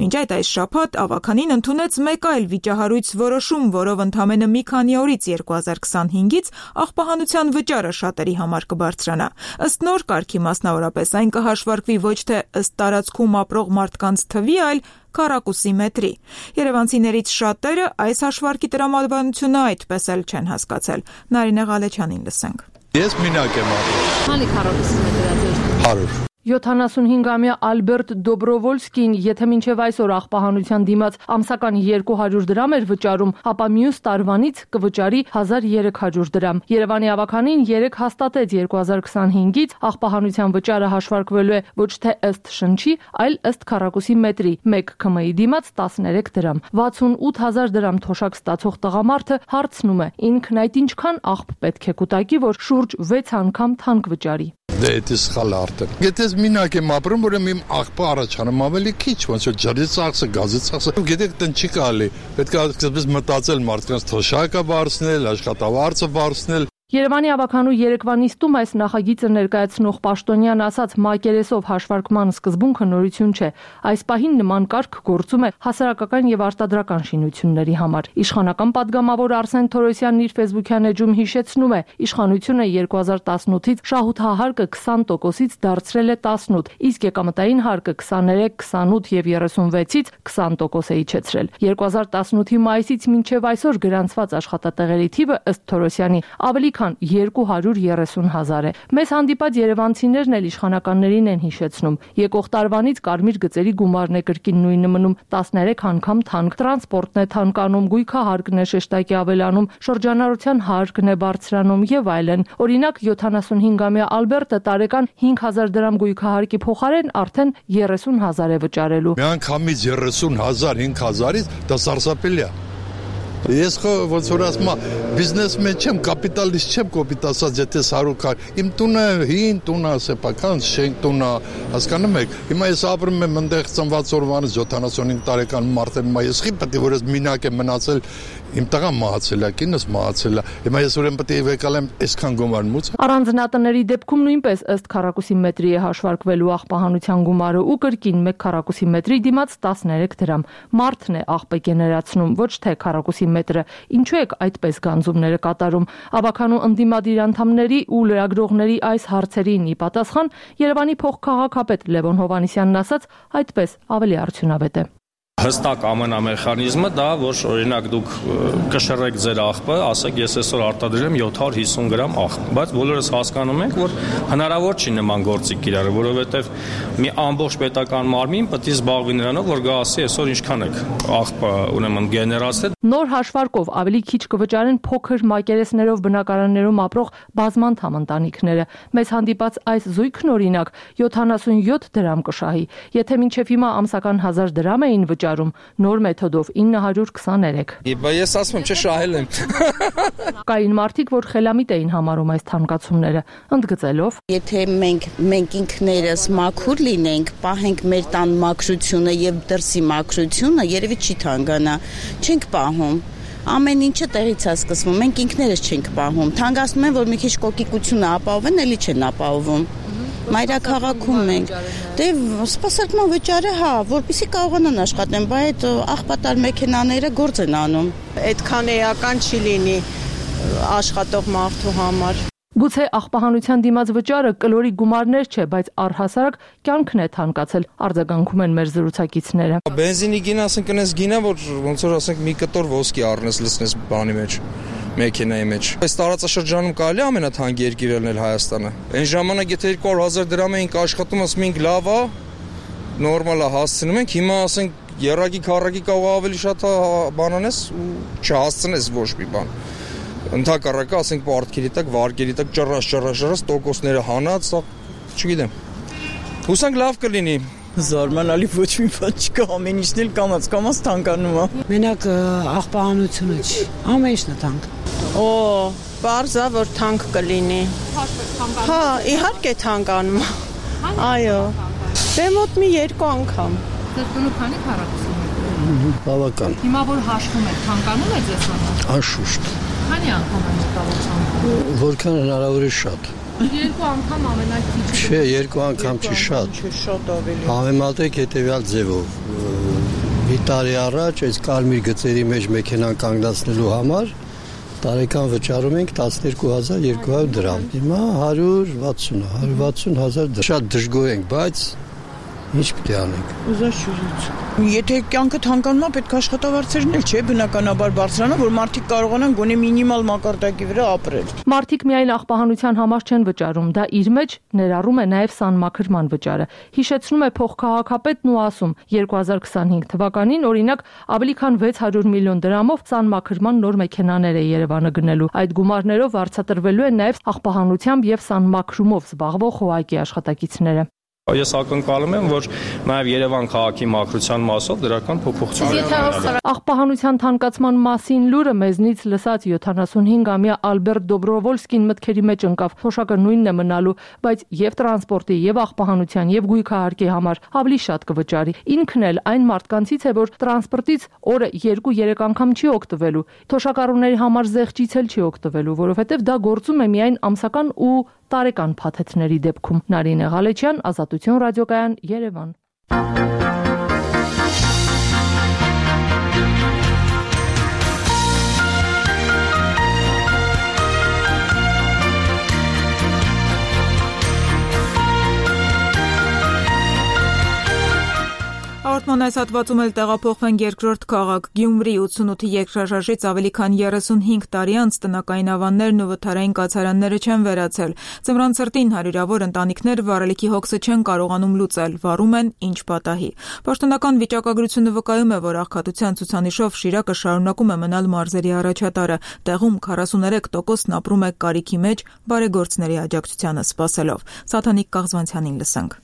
Մինչ այդ այս շաբաթ ավականին ընդունեց մեկ այլ վիճահարույց որոշում, որով ընդամենը մի քանի օրից երկու հազար քսանհինգից աղբահանության վճարը շատերի համար կբարձրանա։ Ըստ նոր կարգի մասնավորապես այն կհաշվարկվի ոչ թե ըստ տարածքում ապրող մարդկանց թվի, այլ քառակուսի մետրի։ Երևանցիներից շատերը այս հաշվարկի տրամաբանությունը այդպես էլ չեն հասկացել։ Նարինե Ղալեչյանին լսենք։ Ես մենակ եմ ապրում։ Քանի քառակուսի մետր է։ հարյուր յոթանասունհինգամյա Ալբերտ Դոբրովոլսկին, եթե մինչև այսօր աղբահանության դիմաց ամսական երկու հարյուր դրամ էր վճարում, ապա մյուս տարվանից կվճարի հազար երեք հարյուր դրամ։ Երևանի ավականին երեք հաստատեց երկու հազար քսանհինգից աղբահանության վճարը հաշվարկվելու է ոչ թե ըստ շնչի, այլ ըստ քառակուսի մետրի, մեկ ՔՄ-ի դիմաց տասներեք դրամ։ վաթսունութ հազար դրամ թոշակ ստացող տղամարդը հարցնում է, ինքն այդ ինչքան աղբ պետք է կուտակի, որ շուրջ վեց անգամ թանկ վճարի։ Դե դա սխալ արդեն։ Եթե մենակ եմ ապրում, ուրեմն իմ աղբը առաջանում ավելի քիչ, ոնց որ ջրի ծախսը, գազի ծախսը։ Գիտեք, տնջ չի կարելի։ Պետք է սկզբից մտածել մարդկանց թոշակը բարձրացնել, աշխատավարձը բարձրացնել։ Երևանի ավականու երեկվա նիստում այս նախագիծը ներկայացնող պաշտոնյան ասաց, մակերեսով հաշվարկման սկզբունքը նորություն չէ։ Այս պահին նման կարգ գործում է հասարակական եւ արտադրական շինությունների համար։ Իշխանական падգամավոր Արսեն Թորոսյանն իր ֆեյսբուքյան էջում հիշեցնում է, իշխանությունը երկու հազար տասնութից շահութահարկը քսան տոկոսից դարձրել է տասնութ, իսկ եկամտային հարկը քսաներեք, քսանութ եւ երեսունվեցից քսան տոկոս է իջեցրել։ երկու հազար տասնութի մայիսից մինչև այսօր գրանցված աշխատատեղերի թիվը ըստ Թորոսյանի ավելի քան երկու հարյուր երեսուն հազար է։ Մեզ հանդիպած երևանցիներն էլ իշխանականներին են հիշեցնում։ Եկող տարվանից կարմիր գծերի գումարն է կրկին նույնը մնում, տասներեք անգամ թանկ, տրանսպորտն է թանկանում, գույքահարկն է շեշտակի ավելանում, շրջանառության հարկն է բարձրանում եւ այլն։ Օրինակ յոթանասունհինգամյա Ալբերտը տարեկան հինգ հազար դրամ գույքահարկի փոխարեն արդեն երեսուն հազար է վճարելու։ Միանգամից երեսուն հազար, հինգ հազարից դա սարսափելի է։ Ես խո ոնց որ ասում եմ, բիզնեսմեն չեմ, կապիտալիստ չեմ, կոպիտ ասած, եթե սարուկ իմ տունը հին տուն է, սեփական շենք տուն է, հասկանում եք։ Հիմա ես ապրում եմ այնտեղ ծնված օրվանից յոթանասունհինգ տարեկան մարդ եմ, ես խի պետք է որ ես մինակ եմ մնացել, իմ տղան մահացել է, կինս մահացել է։ Հիմա ես ուրեմն պետք է վեկալեմ այսքան գումար մուծ։ Առանձնատների դեպքում նույնպես ըստ քառակուսի մետրի է հաշվարկվելու աղբահանության գումարը ու կրկին մեկ քառակուսի մետրի դիմաց տասներեք դրամ։ Մարդն է աղբեկ գեներացնում, ոչ թե քառակուսի մետրը։ Ինչու եք այդպես գանձումները կատարում։ Ավականու ընդդիմադիր անդամների ու լրագրողների այս հարցերին ի պատասխան Երևանի փոխքաղաքապետ Լևոն Հովհաննիսյանն ասաց, այդպես ավելի արդյունավետ է։ Հստակ ամենամեխանիզմը դա, որ օրինակ դուք կշռեք ձեր աղբը, ասեք ես այսօր արտադրեմ յոթ հարյուր հիսուն գրամ աղբ, բայց բոլորս հասկանում ենք, որ հնարավոր չի նման գործիք կիրառել, որովհետև մի ամբողջ պետական մարմին պետք է զբաղվի նրանով, որ գա ասի այսօր ինչքան եք աղբը ուրեմն գեներացրել։ Նոր հաշվարկով ավելի քիչ կվճարեն փոքր մակերեսներով բնակարաններում ապրող բազմանդամ ընտանիքները։ Մեզ հանդիպած այս զույգն օրինակ յոթանասունյոթ դրամ կշահի, եթե մինչև հիմա ամսական հազար դրամ էին վճարում, նոր մեթոդով ինը հարյուր քսաներեք։ Ես ասում եմ, չէ, շահել եմ։ Կային մարդիկ, որ խելամիտ էին համարում այս թանկացումները, ընդգծելով. Եթե մենք մենք ինքներս մաքուր լինենք, պահենք մեր տան մաքրությունը եւ դրսի մաքրությունը, երևի չի թանկանա, չենք պահում։ Ամեն ինչը տեղից է սկսվում, մենք ինքներս չենք պահում։ Թանկացնում են, որ մի քիչ կոկիկությունը ապահովեն, էլի չեն ապահովում։ Մայրաքաղաքում ենք։ Դե սպասարկման վճարը, հա, որպեսզի կարողանան աշխատեն, բայց այդ աղբատար մեքենաները գործ են անում։ Այդքան էական չի լինի աշխատող մարդու համար։ Գուցե աղբահանության դիմաց վճարը կլորի գումարներ չէ, բայց առհասարակ կյանքն է թանկացել, արձագանքում են մեր զրուցակիցները։ Բենզինի գինը, ասենք, կնես գինը, որ ոնց որ ասենք մի կտոր ոսկի առնես, լցնես բանի մեջ, մեքենայի մեջ։ Այս տարածաշրջանում կարելի է ամենաթանկ երկիրը լինել Հայաստանը։ Այն ժամանակ եթե երկու հարյուր հազար դրամ էինք աշխատում, ասում էինք լավ է, նորմալ է, հասցնում ենք, հիմա ասենք երակի քառակի կարող ավելի շատ բանանես ու չհասցնես ոչ մի բան։ Ընդհակառակը, ասենք, պարտքերի տակ, վարկերի տակ ճռաշ, ճռաշ, ճռաշ, տոկոսները հանած, չգիտեմ։ Հուսանք լավ կլինի։ Զարմանալի ոչ մի բան չկա, ամեն ինչն էլ կամաց կամաց թանկանում է։ Մենակ աղբահանությունը չի, ամեն ինչն է թանկ։ Օ, բարձ է, որ թանկ կլինի։ Հա, իհարկե թանկանում է։ Այո։ Դե մոտ մի երկու անգամ։ Ձեր տունը քանի քառակուսի է։ Բավական։ Հիմա որ հաշվում եք, թանկանում է ձեզ համար։ Անշուշտ։ Քանի անգամ է մտավոր։ Որքան հնարավոր է շատ։ Երկու անգամ ամենակիչը։ Չէ, երկու անգամ չի շատ։ Շատ ավելի։ Համեմատեք հետևյալ ձևով։ Մի տարի առաջ այս կարմիր գծերի մեջ մեքենան կանգնացնելու համար տարեկան վճարում ենք տասներկու հազար երկու հարյուր դրամ։ Հիմա հարյուր վաթսուն, հարյուր վաթսուն հազար դրամ։ Շատ դժգոհ ենք, բայց ինչ պետք է անենք։ Ուզաշուռից։ Եթե կյանքը թանկանում է, պետք է աշխատավարձերն էլ չէ, բնականաբար բարձրանա, որ մարդիկ կարողանան գոնե մինիմալ մակարդակի վրա ապրել։ Մարդիկ միայն աղբահանության համար չեն վճարում, դա իր մեջ ներառում է նաև սանմաքրման վճարը։ Հիշեցնում է փոխքաղաքապետն ու ասում, երկու հազար քսանհինգ թվականին օրինակ ավելի քան վեց հարյուր միլիոն դրամով սանմաքրման նոր մեքենաներ է Երևանը գնելու։ Այդ գումարներով վարձատրվելու են նաև աղբահանությամբ եւ սանմաքրումով զբաղվող խոհակի աշխատակիցները։ Ես ակնկալում եմ, որ նաև Երևան քաղաքի մաքրության մասով դրական փոփոխություններ։ Աղբահանության թանկացման մասին լուրը մեզնից լսած յոթանասունհինգամյա Ալբերտ Դոբրովոլսկին մտքերի մեջ ընկավ, թոշակը նույնն է մնալու, բայց եւ տրանսպորտի, եւ աղբահանության, եւ գույքահարկի համար ավելի շատ կվճարի։ Ինքն էլ այն մարդկանցից է, որ տրանսպորտից օրը երկու-երեք անգամ չի օգտվելու։ Թոշակառուների համար զեղչից էլ չի օգտվելու, որովհետեւ դա գործում է միայն ամսական ու տարեկան փաթեթների դեպքում։ Նարինե Ղալեչյան, Ազատություն ռադիոկայան, Երևան։ Հաղորդման այս հատվածում էլ տեղափոխվենք երկրորդ քաղաք Գյումրի ութսունութի երկրաշարժից ավելի քան երեսունհինգ տարի անց տնական ավաններն ու վթարային կացարանները չեն վերացել։ Ձմռան ցրտին հարյուրավոր ընտանիքներ վառելիքի հոգսը չեն կարողանում լուծել, վառում են ինչ պատահի։ Պաշտոնական վիճակագրությունը վկայում է, որ աղքատության ցուցանիշով Շիրակը շարունակում է մնալ մարզերի առաջատարը։ Տեղում քառասուներեք տոկոսն ապրում է կարիքի մեջ բարեգործների աջակցությանը սպասելով։ Սաթանիկ Կաղզվանցյանին լսենք։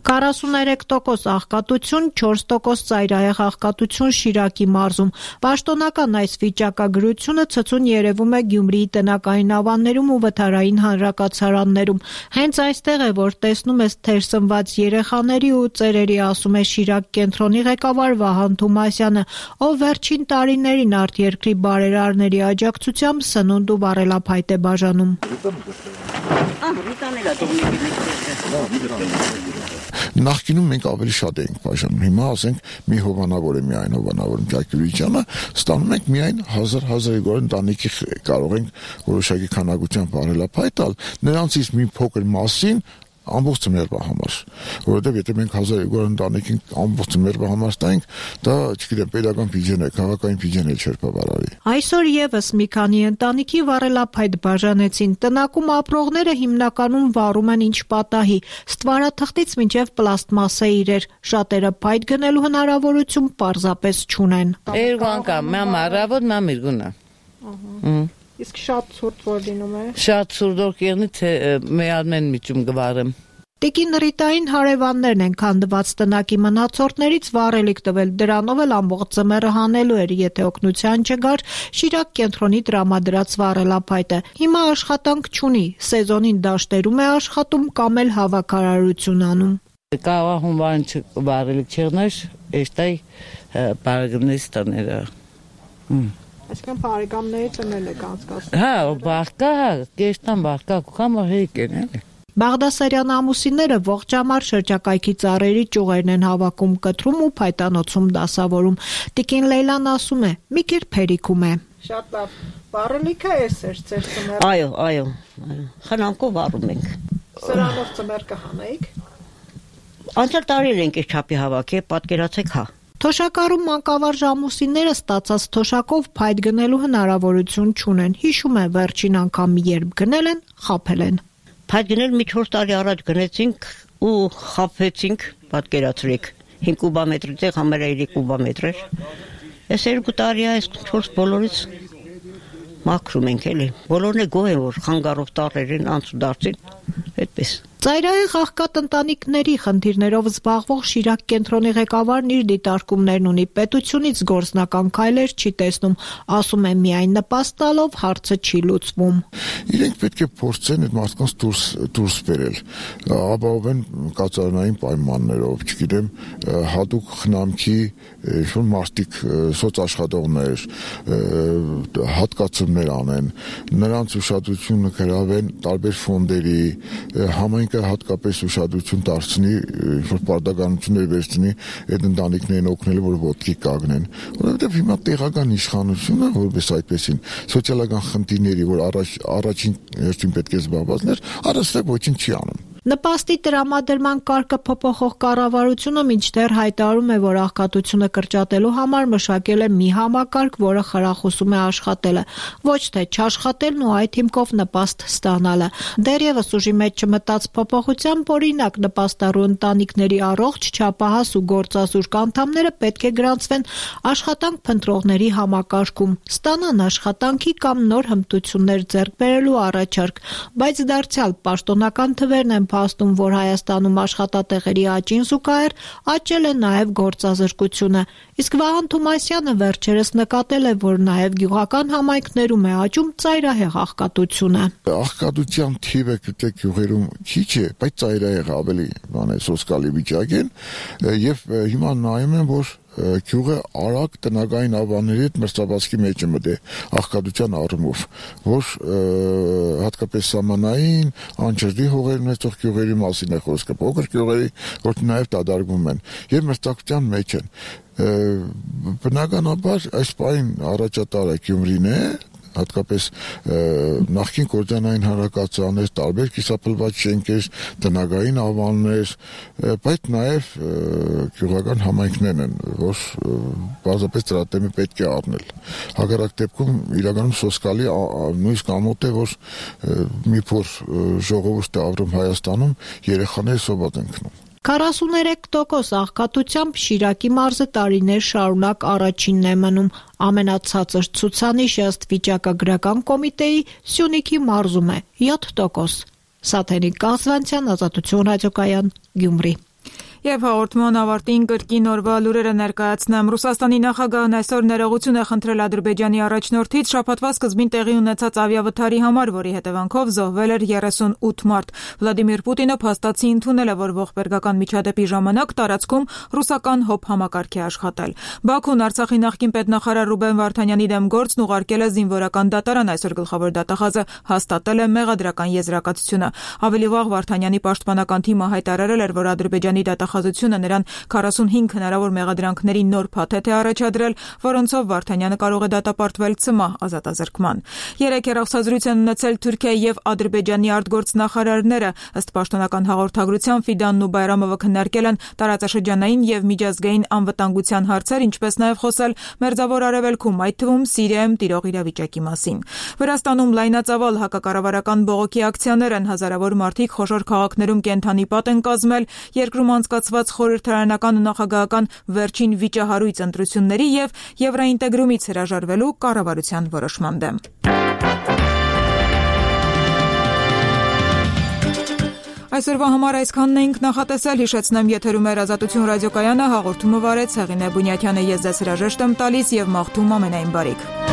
քառասուներեք տոկոս աղքատություն, չորս տոկոս ծայրահեղ աղքատություն Շիրակի մարզում։ Պաշտոնական այս վիճակագրությունը ցցուն երևում է Գյումրիի տնական ավաններում ու վթարային հանրակացարաններում։ Հենց այստեղ է, որ տեսնում ես թերսնված երեխաների ու ծերերի, ասում է Շիրակ կենտրոնի ղեկավար Վահան Թումասյանը, ով վերջին տարիներին արտերկրի բարերարների աջակցությամբ սնունդ ու վառելափայտ է բաժանում։ Նախկինում մենք ավելի շատ էինք բաժանում, հիմա ասենք մի հովանավոր է միայն հովանավոր Մյակյուրիչյանը, ստանում ենք միայն հազար հազար երկու հարյուր ընտանիքի կարող ենք որոշակի քանակությամբ վառելափայտ տալ, նրանցից մի փոքր մասին ամբողջ ծմերվա համար, որովհետև եթե մենք հազար երկու հարյուր ընտանիքին ամբողջ ծմերվա համար տանք, դա չգիտեմ, պետական բյուջեն է, քաղաքային բյուջեն է չէր բավարարի։ Այսօր եւս մի քանի ընտանիքի վառելափայտ բաժանեցին։ Տնակում ապրողները հիմնականում վառում են ինչ պատահի, ստվարաթղթից մինչև պլաստմասե իրեր։ Շատերը փայտ գնելու հնարավորություն պարզապես չունեն։ Երկու անգամ, մամ առավոտ, մամ իրգունա։ Իսկ շատ ցուրտ որ լինում է։ Շատ ցուրտ որ կերնի թե մեյալմեն միջում գվարեմ։ Տիկին Ռիտային հարևաններն են քանդված տնակի մնացորդներից վառելիք տվել, դրանով էլ ամբողջ ծմերը հանելու էր, եթե օգնության չգար Շիրակ կենտրոնի տրամադրած վառելափայտը։ Հիմա աշխատանք չունի, սեզոնին դաշտերում է աշխատում կամ էլ հավաքարարություն անում։ Կարող հունվարին վառելիք չեղներ, էստայ բարագնես տաները։ Այսինքն բարեկամների տնել եք անցկացնում։ Հա, բարկա, կեստան բարկա, կամա հեկ են էլի։ Բաղդասարյան ամուսինները ողջամար շրջակայքի ծառերի ճյուղերն են հավաքում, կտրում ու փայտանոցում դասավորում։ Տիկին Լեյլան ասում է, մի կերպ փերիքում է։ Շատ լավ։ Վառելիքը էս էր ձեր ծմերը։ Այո, այո, այո։ Խնամքով վառում ենք։ Սրանով ծմեր կհանեիք։ Անցյալ տարի ենք այս չափի հավաքել, պատկերացեք, հա։ Թոշակառում մանկավարժ ամուսինները ստացած թոշակով փայտ գնելու հնարավորություն չունեն։ Հիշում է վերջին անգամ երբ գնել են, խաբել են։ Փայտ գնել մի չորս տարի առաջ գնեցինք ու խաբվեցինք, պատկերացրեք։ հինգ կուբամետրի տեղ համարը երեք կուբամետր էր։ Այս երկու տարի այս չորս բոլորից մաքրում ենք էլի։ Բոլորն է գոհ են, որ խանգարով տարերին անցուդարձին, այդպես։ Ծայրահեղ աղքատ ընտանիքների խնդիրներով զբաղվող Շիրակ կենտրոնի ղեկավարն իր դիտարկումներն ունի, պետությունից գործնական քայլեր չի տեսնում, ասում է միայն նպաստ տալով հարցը չի լուծվում։ Իրենք պետք է փորձեն այդ մարդկանց դուրս դուրս բերել, ապահովեն կացարանային պայմաններով, չգիտեմ, հատուկ խնամքի ինչ-որ մարդիկ սոցաշխատողներ, հատկացումներ անեն, նրանց ուշադրությունը գրավեն տարբեր ֆոնդերի, համայնքը հատկապես ուշադրություն դարձնի, որ պարտականություններ վերցնի այդ ընտանիքներին օգնելու, որ ոտքի կանգնեն, որովհետև հիմա տեղական իշխանությունը, որպես այդպեսին սոցիալական խնդիրների, որ առաջ առաջին հերթին պետք է զբաղվածներ, առաստեղ ոչինչ չի անում։ Նպաստի տրամադրման կարգը փոփոխող կառավարությունը մինչդեռ հայտարարում է, որ աղքատությունը կրճատելու համար մշակել է մի համակարգ, որը խրախուսում է աշխատելը, ոչ թե չաշխատելն ու այդ հիմքով նպաստ ստանալը։ Դեռևս ուժի մեջ չմտած փոփոխությամբ, օրինակ, նպաստառու ընտանիքների առողջ, չափահաս ու գործազուրկ անդամները պետք է գրանցվեն աշխատանք փնտրողների համակարգում, ստանան աշխատանքի կամ նոր հմտություններ ձեռք բերելու առաջարկ, բայց դարձյալ պաշտոնական թվերն են փաստում, որ Հայաստանում աշխատատեղերի աճին զուգահեռ աճել է նաև գործազրկությունը։ Իսկ Վահան Թումասյանը վերջերս նկատել է, որ նաև գյուղական համայնքներում է աճում ծայրահեղ աղքատությունը։ Աղքատության թիվը գտե գյուղերում քիչ է, բայց ծայրահեղ ավելի բան է սոսկալի վիճակ են, եւ հիմա նայում եմ, որ գյուղը արագ տնական ավանների հետ մրցավազքի մեջ է մտել աղքատության առումով, որ հատկապես սահմանային անջրի հողեր ունեցող գյուղերի մասին է խոսքը, փոքր գյուղերի, որ նաև դադարվում են եւ մրցակցության մեջ են։ Բնականաբար այս պայն առաջատարը Գյումրին է, հատկապես նախկին կորձանային հանրակացարաններ, տարբեր կիսափլված շենքեր, տնագային ավաններ, բայց նաև գյուղական համայնքներն են, որ բազապես դրա դեմը պետք է առնել։ Հակառակ դեպքում իրականում սոսկալի նույնիսկ ամոթ է, որ մի փոքր ժողովուրդ է ապրում Հայաստանում, երեխաները սոված են քնում։ քառասուներեք տոկոս աղքատությամբ Շիրակի մարզը տարիներ շարունակ առաջինն է մնում։ Ամենացածր ցուցանիշը ըստ վիճակագրական կոմիտեի Սյունիքի մարզում է յոթ տոկոս։ Սաթենիկ Կազվանցյան, Ազատություն ռադիոկայան, Գյումրի։ Եվ հաղորդման ավարտին կրկին օրվա լուրերը ներկայացնեմ։ Ռուսաստանի նախագահն այսօր ներողություն է խնդրել Ադրբեջանի առաջնորդից շաբաթվա սկզբին տեղի ունեցած ավիավթարի համար, որի հետևանքով զոհվել էր երեսունութ մարդ։ Վլադիմիր Պուտինը փաստացի ընդունել է, որ ողբերգական միջադեպի ժամանակ տարածքում ռուսական հոբ համակարգ է աշխատել։ Բաքուն Արցախի նախկին պետնախարար Ռուբեն Վարդանյանի դեմ գործն ուղարկել է զինվորական դատարան, այսօր գլխավոր դատախազը հաստատել է մեղադրական եզրակացությունը։ Ավելի վաղ Վարդանյանի պաշտպանական թիմը հայտարարել էր, որ Ադրբեջանի դատախազությունը նրան քառասունհինգ հնարավոր մեղադրանքների նոր փաթեթ է առաջադրել, որոնցով Վարդանյանը կարող է դատապարտվել ցմահ ազատազրկման։ Երեք հեռախոսազրույց են ունեցել Թուրքիայի եւ Ադրբեջանի արտգործնախարարները, ըստ պաշտոնական հաղորդագրության Ֆիդանն ու Բայրամովը քննարկել են տարածաշրջանային եւ միջազգային անվտանգության հարցեր, ինչպես նաեւ խոսել Մերձավոր Արևելքում, այդ թվում Սիրիայում տիրող իրավիճակի մասին։ Վրաստանում լայնածավալ հակակառավարական բողոքի ակցիաներ են, հազարավոր մարդիկ խոշոր քաղաքներում կենթանի պատ են կազմել երկրում անցկացված խորհրդարանական ու նախագահական վերջին վիճահարույց ընտրությունների եւ եվրոինտեգրումից հրաժարվելու կառավարության որոշման դեմ։ Այսօրվա համար այսքանն էինք նախատեսել, հիշեցնեմ եթերում էր Ազատություն ռադիոկայանը, հաղորդումը վարեց Հեղինե Բունյաթյանը, ես ձեզ հրաժեշտ եմ տալիս եւ մաղթում ամենայն բարիք։